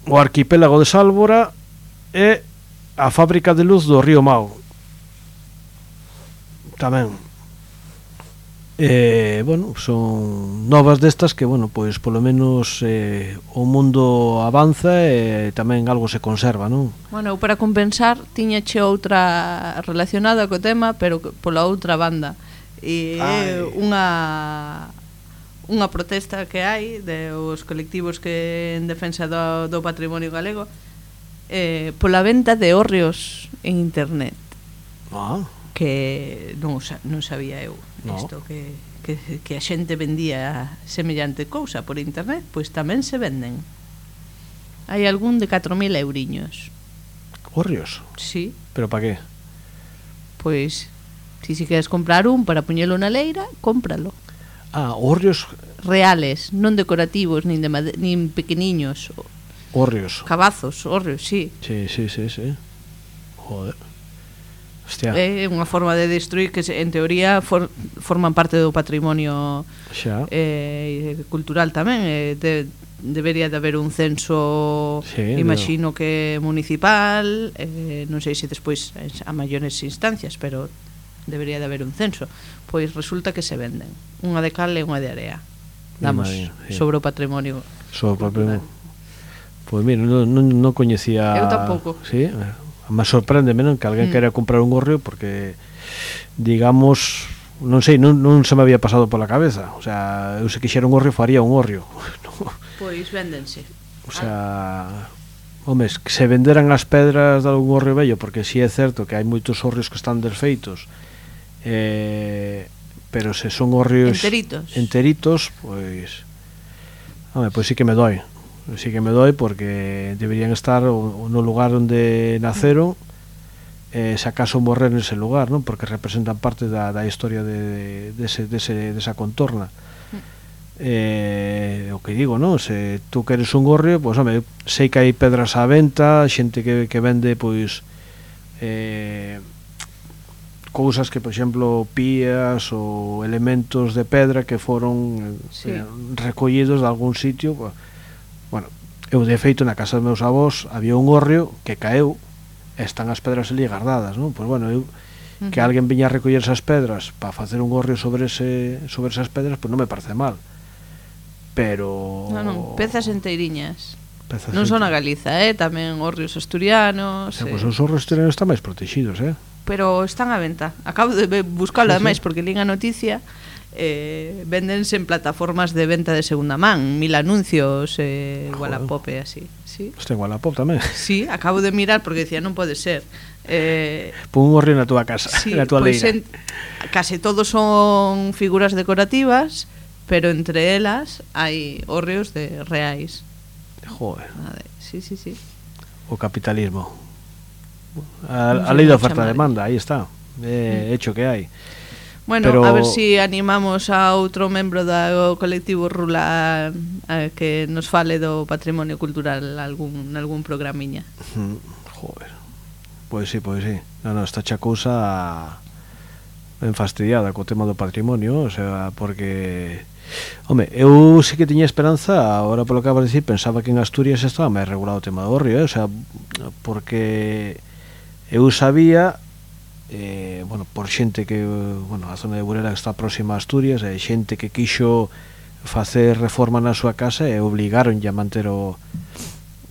S4: o Arquipélago de Sálvora e a Fábrica de Luz do Río Mao tamén. Eh, bueno, son novas destas que, bueno, pois polo menos eh, o mundo avanza e tamén algo se conserva, non?
S5: Bueno, eu para compensar tiñache outra relacionada co tema, pero pola outra banda. E é unha unha protesta que hai de os colectivos que en defensa do, do patrimonio galego, eh, pola venta de hórreos en internet.
S4: Ah.
S5: Que non, non sabía eu no. Isto que, que, que a xente vendía semellante cousa por internet, pois tamén se venden. Hai algún de catro mil euriños.
S4: Hórreos?
S5: Sí.
S4: Pero pa qué?
S5: Pois, si si queres comprar un para poñelo na leira, cómpralo.
S4: Ah, hórreos
S5: reales, non decorativos, nin de made- nin pequeniños.
S4: Hórreos.
S5: Cabazos, hórreos, sí.
S4: Sí, sí, sí, sí. Joder. Hostia.
S5: É unha forma de destruir que en teoría for, forman parte do patrimonio
S4: Xa.
S5: eh, cultural tamén. Eh, de, debería de haber un censo,
S4: sí,
S5: imagino no. que municipal, eh, non sei se despois a maiores instancias, pero debería de haber un censo. Pois resulta que se venden unha de cal e unha de area. Damos
S4: Imagino, sí.
S5: sobre o patrimonio.
S4: Sobre o patrimonio. Pois mira, non, non, non coñecía.
S5: Eu tampouco.
S4: Sí, me sorprende menos que alguén mm. queira comprar un gorrio porque digamos, non sei, non, non se me había pasado pola cabeza. O sea, eu se quixera un gorrio faría un gorrio.
S5: Pois véndense.
S4: O sea, homes, que se venderan as pedras de algún gorrio bello, porque si sí é certo que hai moitos gorrios que están desfeitos, eh, pero se son gorrios
S5: enteritos,
S4: enteritos pois, home, pois sí que me doi. Sí que me doi porque deberían estar no lugar onde naceron, eh, se acaso morrer nese lugar, non? Porque representan parte da, da historia de, de, ese, de, ese, de esa contorna. Eh, o que digo, non? Se tú queres un gorrio, pois, home, sei que hai pedras á venta, xente que, que vende, pois, eh, cousas que, por exemplo, pías ou elementos de pedra que foron
S5: sí.
S4: eh, recollidos de algún sitio. Bueno, eu de feito na casa dos meus avós había un gorrio que caeu e están as pedras ali guardadas, non? Pois bueno, eu uh-huh. que alguén viña a recoller esas pedras para facer un gorrio sobre ese sobre esas pedras, pois non me parece mal. Pero
S5: non, non, pezas enteiriñas.
S4: Pezas
S5: non son a
S4: ente...
S5: Galiza, eh, tamén gorrios asturianos.
S4: Sí,
S5: eh.
S4: pois os gorrios asturianos están máis protegidos, eh?
S5: Pero están á venta. Acabo de buscalo sí, ademais sí. porque lín a noticia. Eh, véndense en plataformas de venta de segunda man, Mil Anuncios, eh, Wallapop e así. Sí.
S4: Hostia, Wallapop tamén.
S5: Sí, acabo de mirar porque decía non pode ser. Eh,
S4: Pon un gorrio na túa casa,
S5: sí,
S4: na túa
S5: pues
S4: leira.
S5: En, case todos son figuras decorativas, pero entre elas hai hórreos de reais.
S4: Joder.
S5: Sí, sí, sí.
S4: O capitalismo. A, no a lei da oferta e demanda, aí está. É mm. hecho que hai.
S5: Bueno,
S4: pero...
S5: a ver si animamos a outro membro do colectivo Rula a que nos fale do patrimonio cultural algún algún programiña.
S4: Mm, joder. Pois sí, pois sí. Non, non, está xa cousa ben fastidiada co tema do patrimonio, o sea, porque home, eu sí que tiña esperanza, agora polo que acabas de dicir, pensaba que en Asturias estaba máis regulado o tema do gorrio, eh? O sea, porque eu sabía eh, bueno, por xente que, bueno, a zona de Burela que está próxima a Asturias, e xente que quixo facer reforma na súa casa e obligaron a manter o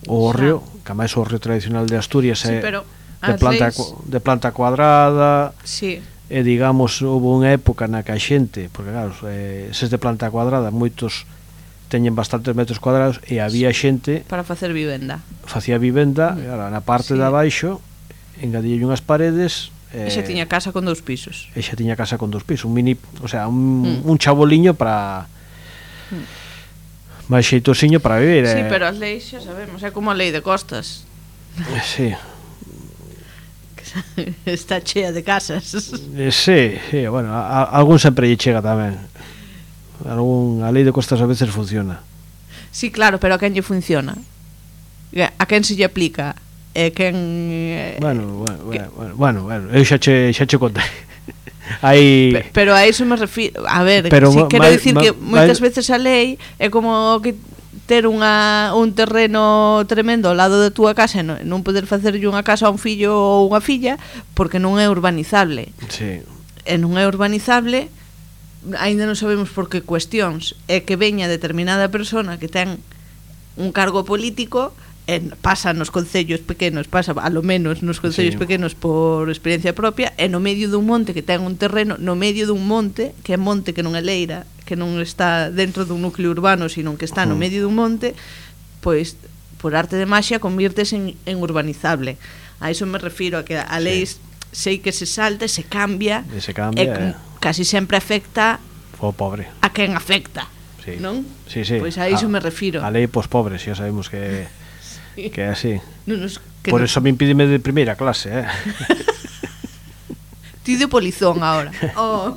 S4: o gorrio, que máis o gorrio tradicional de Asturias é sí, de planta leis... de planta cuadrada.
S5: Sí.
S4: E digamos, houve unha época na que a xente, porque claro, eh, se de planta cuadrada, moitos teñen bastantes metros cuadrados e había xente
S5: para facer vivenda.
S4: Facía vivenda, mm. claro, na parte sí. de abaixo engadille unhas paredes.
S5: E xa tiña casa con dous pisos.
S4: E xa tiña casa con dous pisos, un mini, o sea, un, mm. un chaboliño para mm. máis xeitosiño para vivir.
S5: Sí,
S4: eh.
S5: pero as leis xa sabemos, é como a lei de costas.
S4: Sí.
S5: Está chea de casas.
S4: Eh, sí, sí, bueno, a, a algún sempre lle chega tamén. Algún, a lei de costas a veces funciona.
S5: Sí, claro, pero a quen lle funciona? A quen se lle aplica? E quen eh,
S4: bueno, bueno, que... bueno, bueno, bueno, eu xa che xa che contei. Aí
S5: Pe, pero a iso me refiro, a ver,
S4: pero
S5: si quero
S4: mal,
S5: dicir
S4: mal,
S5: que moitas
S4: mal...
S5: veces a lei é como que ter unha un terreno tremendo ao lado da túa casa e non, non poder facerlle unha casa a un fillo ou unha filla porque non é urbanizable.
S4: Sí.
S5: E non é urbanizable, aínda non sabemos por que cuestións, é que veña determinada persona que ten un cargo político. En, pasa nos concellos pequenos, pasa a lo menos nos concellos sí. pequenos por experiencia propia, e no medio dun monte que ten un terreno, no medio dun monte, que é monte que non é leira, que non está dentro dun núcleo urbano, sino que está no medio dun monte, pois por arte de maxia convírtese en, en urbanizable. A iso me refiro, a que a lei sí. sei que se salta, se cambia,
S4: e se cambia,
S5: e
S4: eh.
S5: casi sempre afecta
S4: o pobre.
S5: A quen afecta.
S4: Sí.
S5: Non?
S4: Sí, sí.
S5: Pois a iso
S4: a,
S5: me refiro.
S4: A lei pos pobres, xa sabemos que que é así.
S5: Non nos, que
S4: Por
S5: non-
S4: eso me impídeme de primeira clase, eh.
S5: Ti de polizón ahora. Oh.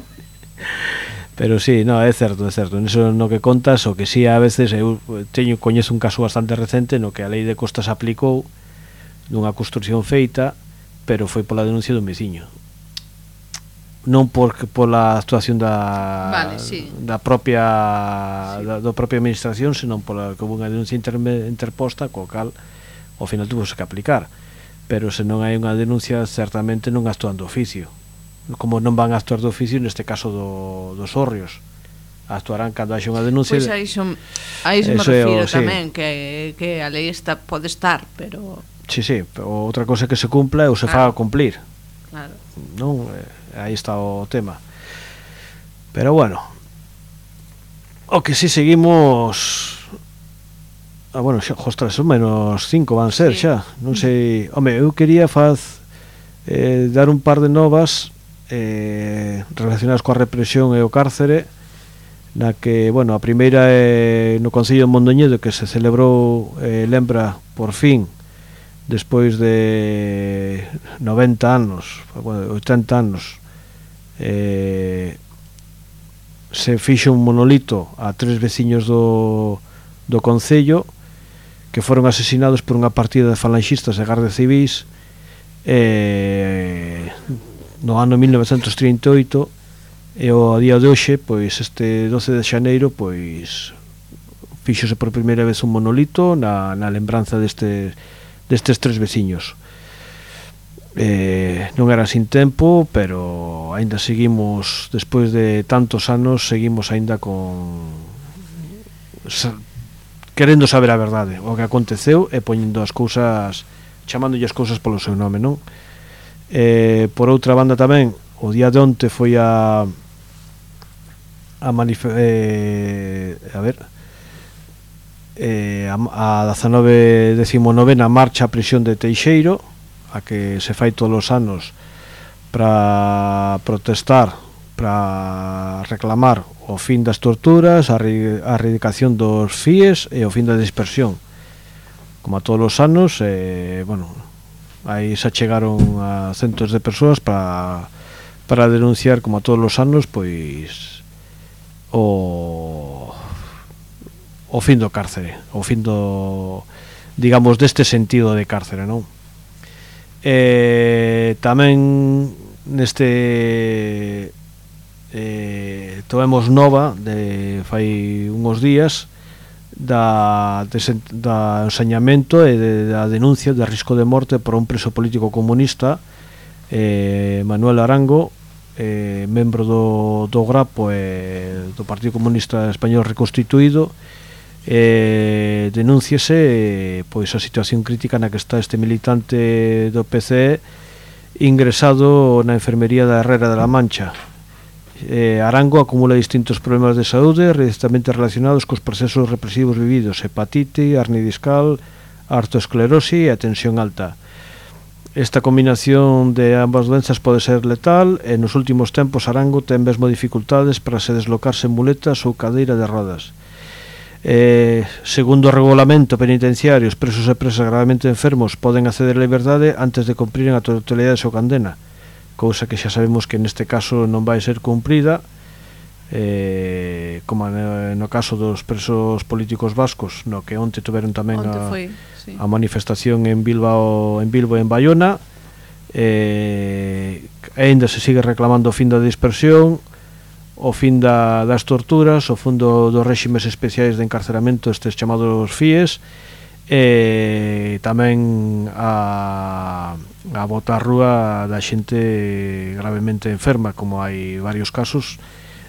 S4: Pero sí, no, é certo, é certo. Niso no que contas, o que sí a veces eu teño coñezo un caso bastante recente no que a lei de costas aplicou dunha construción feita, pero foi pola denuncia dun veciño. Non por pola actuación da
S5: Vale, sí.
S4: da propia sí. da, da propia administración, senón pola que houve unha denuncia interme, interposta, co cal ao final tuvo que aplicar. Pero se non hai unha denuncia, certamente non actúan do oficio. Como non van a actuar do oficio neste caso do, dos hórreos, actuarán cando haxe unha denuncia.
S5: Pois aí son, aí se me
S4: Eso é
S5: refiro
S4: o- sí.
S5: tamén que, que a lei está, pode estar, pero
S4: Sí, sí, pero outra cosa é que se cumpla ou se
S5: Claro.
S4: faga cumplir.
S5: claro.
S4: Non, eh, aí está o tema. Pero bueno, o que si seguimos. Ah, bueno, xa, ostras, son menos cinco van ser
S5: Sí.
S4: xa. Non sei, home, eu quería faz eh, dar un par de novas eh, relacionadas coa represión e o cárcere, na que, bueno, a primeira é no Concello de Mondoñedo, que se celebrou, eh, lembra, por fin, despois de noventa anos, bueno, oitenta anos, eh, se fixo un monolito a tres veciños do, do Concello que foron asesinados por unha partida de falanxistas e gardas civis eh, no ano mil novecentos trinta e oito, e ao día de hoxe, pois este doce de xaneiro, pois fíxose por primeira vez un monolito na, na lembranza deste, destes tres veciños. Eh, non era sin tempo, pero aínda seguimos, despois de tantos anos, seguimos aínda con sa, querendo saber a verdade, o que aconteceu, e poñendo as cousas, chamándolle as cousas polo seu nome, non? Eh, por outra banda tamén, o día de onte foi a a manife, eh, a ver eh, a, a dezanove décimo novena marcha a prisión de Teixeiro, a que se fai todos os anos para protestar, para reclamar o fin das torturas, a, re, a erradicación dos F I Es e o fin da dispersión. Como a todos os anos, eh, bueno, aí se chegaron a centos de persoas para para denunciar, como a todos os anos, pois o o fin do cárcere, o fin do, digamos, deste sentido de cárcere, non? Eh, tamén neste eh, tomemos nova de fai uns días da, de, da ensañamento e de, da denuncia de risco de morte por un preso político comunista, eh, Manuel Arango, eh, membro do, do Grapo e do Partido Comunista Español reconstituído. Eh, denúnciase eh, pois a situación crítica na que está este militante do P C E ingresado na enfermería da Herrera de la Mancha. eh, Arango acumula distintos problemas de saúde directamente relacionados cos procesos represivos vividos: hepatite, hernia discal, artroesclerosis e a tensión alta. Esta combinación de ambas doenzas pode ser letal, e nos últimos tempos Arango ten mesmo dificultades para se deslocarse en muletas ou cadeira de rodas. Eh, segundo o regulamento penitenciario, os presos e presas gravemente enfermos poden acceder á liberdade antes de cumpriren a totalidade da súa condena, cousa que xa sabemos que neste caso non vai ser cumprida, eh, como no caso dos presos políticos vascos, no que onte tiveron tamén
S5: Onte
S4: a,
S5: foi, sí.
S4: a manifestación en Bilbao, en Bilbo e en Bayona. Eh, ainda se sigue reclamando o fin da dispersión, o fin da, das torturas, o fin do, dos réximes especiais de encarceramento, estes chamados F I Es, e tamén a, a botar rúa da xente gravemente enferma, como hai varios casos.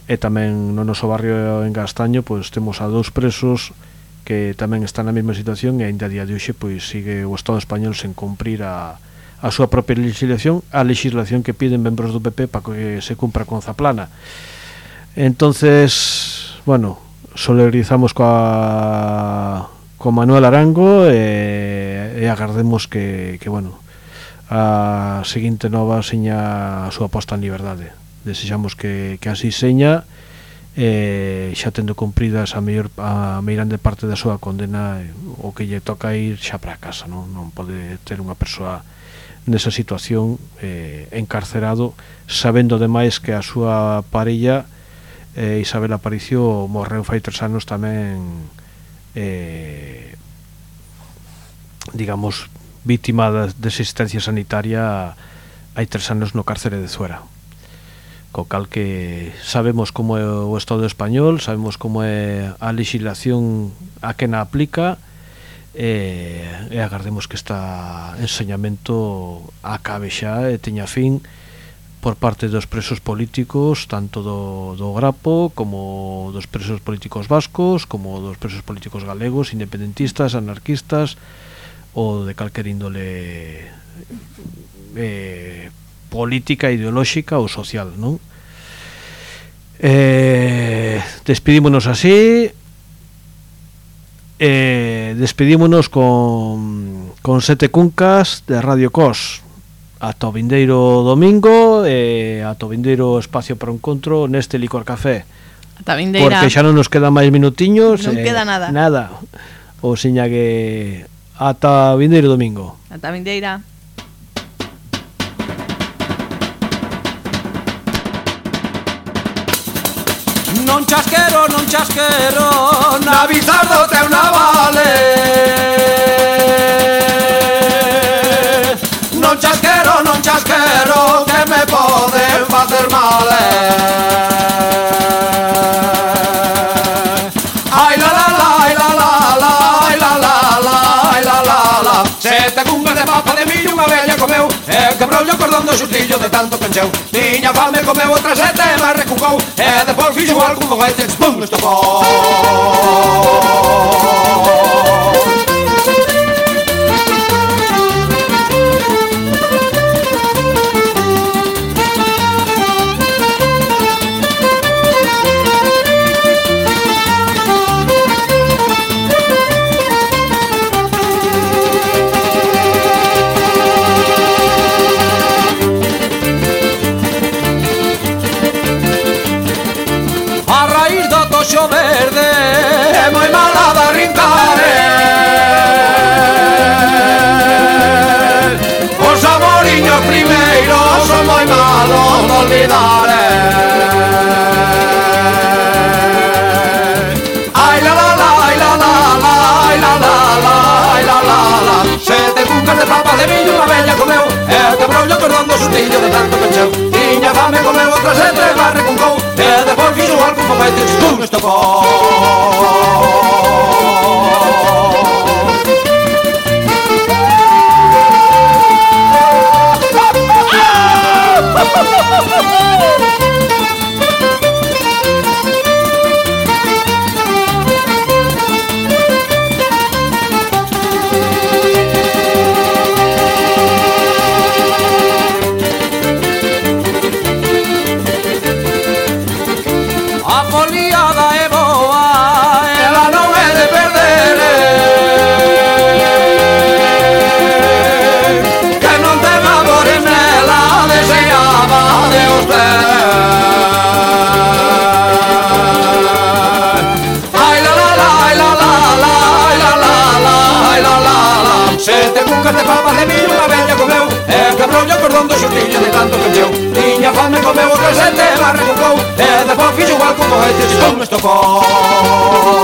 S4: E tamén no noso barrio en Castaño pois temos a dous presos que tamén están na mesma situación, e ainda a día de hoxe pois sigue o Estado español sen cumprir a, a súa propia legislación, a legislación que piden membros do P P para que se cumpra con Zaplana. Entonces, bueno, solidarizamos coa con Manuel Arango e, e agardemos que, que, bueno, a seguinte nova seña a súa posta en liberdade. Desexamos que, que así seña eh, xa tendo cumpridas a mellor a meirande parte da súa condena, eh, o que lle toca ir xa para casa, non, non pode ter unha persoa nesa situación eh, encarcerado, sabendo demais que a súa parella eh, Isabel Aparicio morreu fai tres anos tamén eh, digamos vítima de asistencia sanitaria hai tres anos no cárcere de Zuera, co cal que sabemos como é o Estado español, sabemos como é a legislación a que na aplica, e, e agardemos que esta enseñamento acabe xa e teña fin por parte dos presos políticos, tanto do, do Grapo como dos presos políticos vascos, como dos presos políticos galegos, independentistas, anarquistas ou de calquer índole eh, política, ideolóxica ou social, non? Eh, despedímonos así. Eh, despedímonos con, con Sete Cuncas de Radio Cos. Ata o vindeiro domingo, e ata o vindeiro espacio para o encontro neste Licor Café.
S5: Ata vindeira.
S4: Porque xa non nos queda máis minutiños.
S5: Non
S4: eh,
S5: queda nada.
S4: Nada. O seña que ata o vindeiro domingo.
S5: Ata vindeira.
S15: Non chasquero, non chasquero, na bizardo teu navale. Non chasquero, non chasquero, que me poden facer mal. Ai la la la, ai la la la, ai la la la, ai la la la. Sete cuncas de papa de millo unha vella comeu, e quebrou-lle o cordón do xustillo de tanto pencheu. Tiña fame, comeu outra sete, mas recucou, e depois fixo algún foguete, pum, estopou. Toxo verde é moi mala de arrincar, os amoriños primeiros son moi malos de olvidar. Ai la la la, ai la la la, ai la la la, ai la la la. Sete cuncas de papa de millo unha vella comeu, e quebrou-lle o cordón do xustillo de tanto pencheu. Tiña fame, comeu outra sete, mas recuncou, e depois fixo algún foguete, pum, estopou. A foliada é boa, ela non é de perder, que non ten amores nela, deseaba de usted. Ai la la la, ai la la la, ai la la la, ai la la la. Sete cuncas de papa de millo unha vella comeu, e quebrou-lle o cordón do xustillo de tanto pencheu. Tiña fame, comeu outra sete, mas recucou, e depois fixo igual como este, pum, estopou.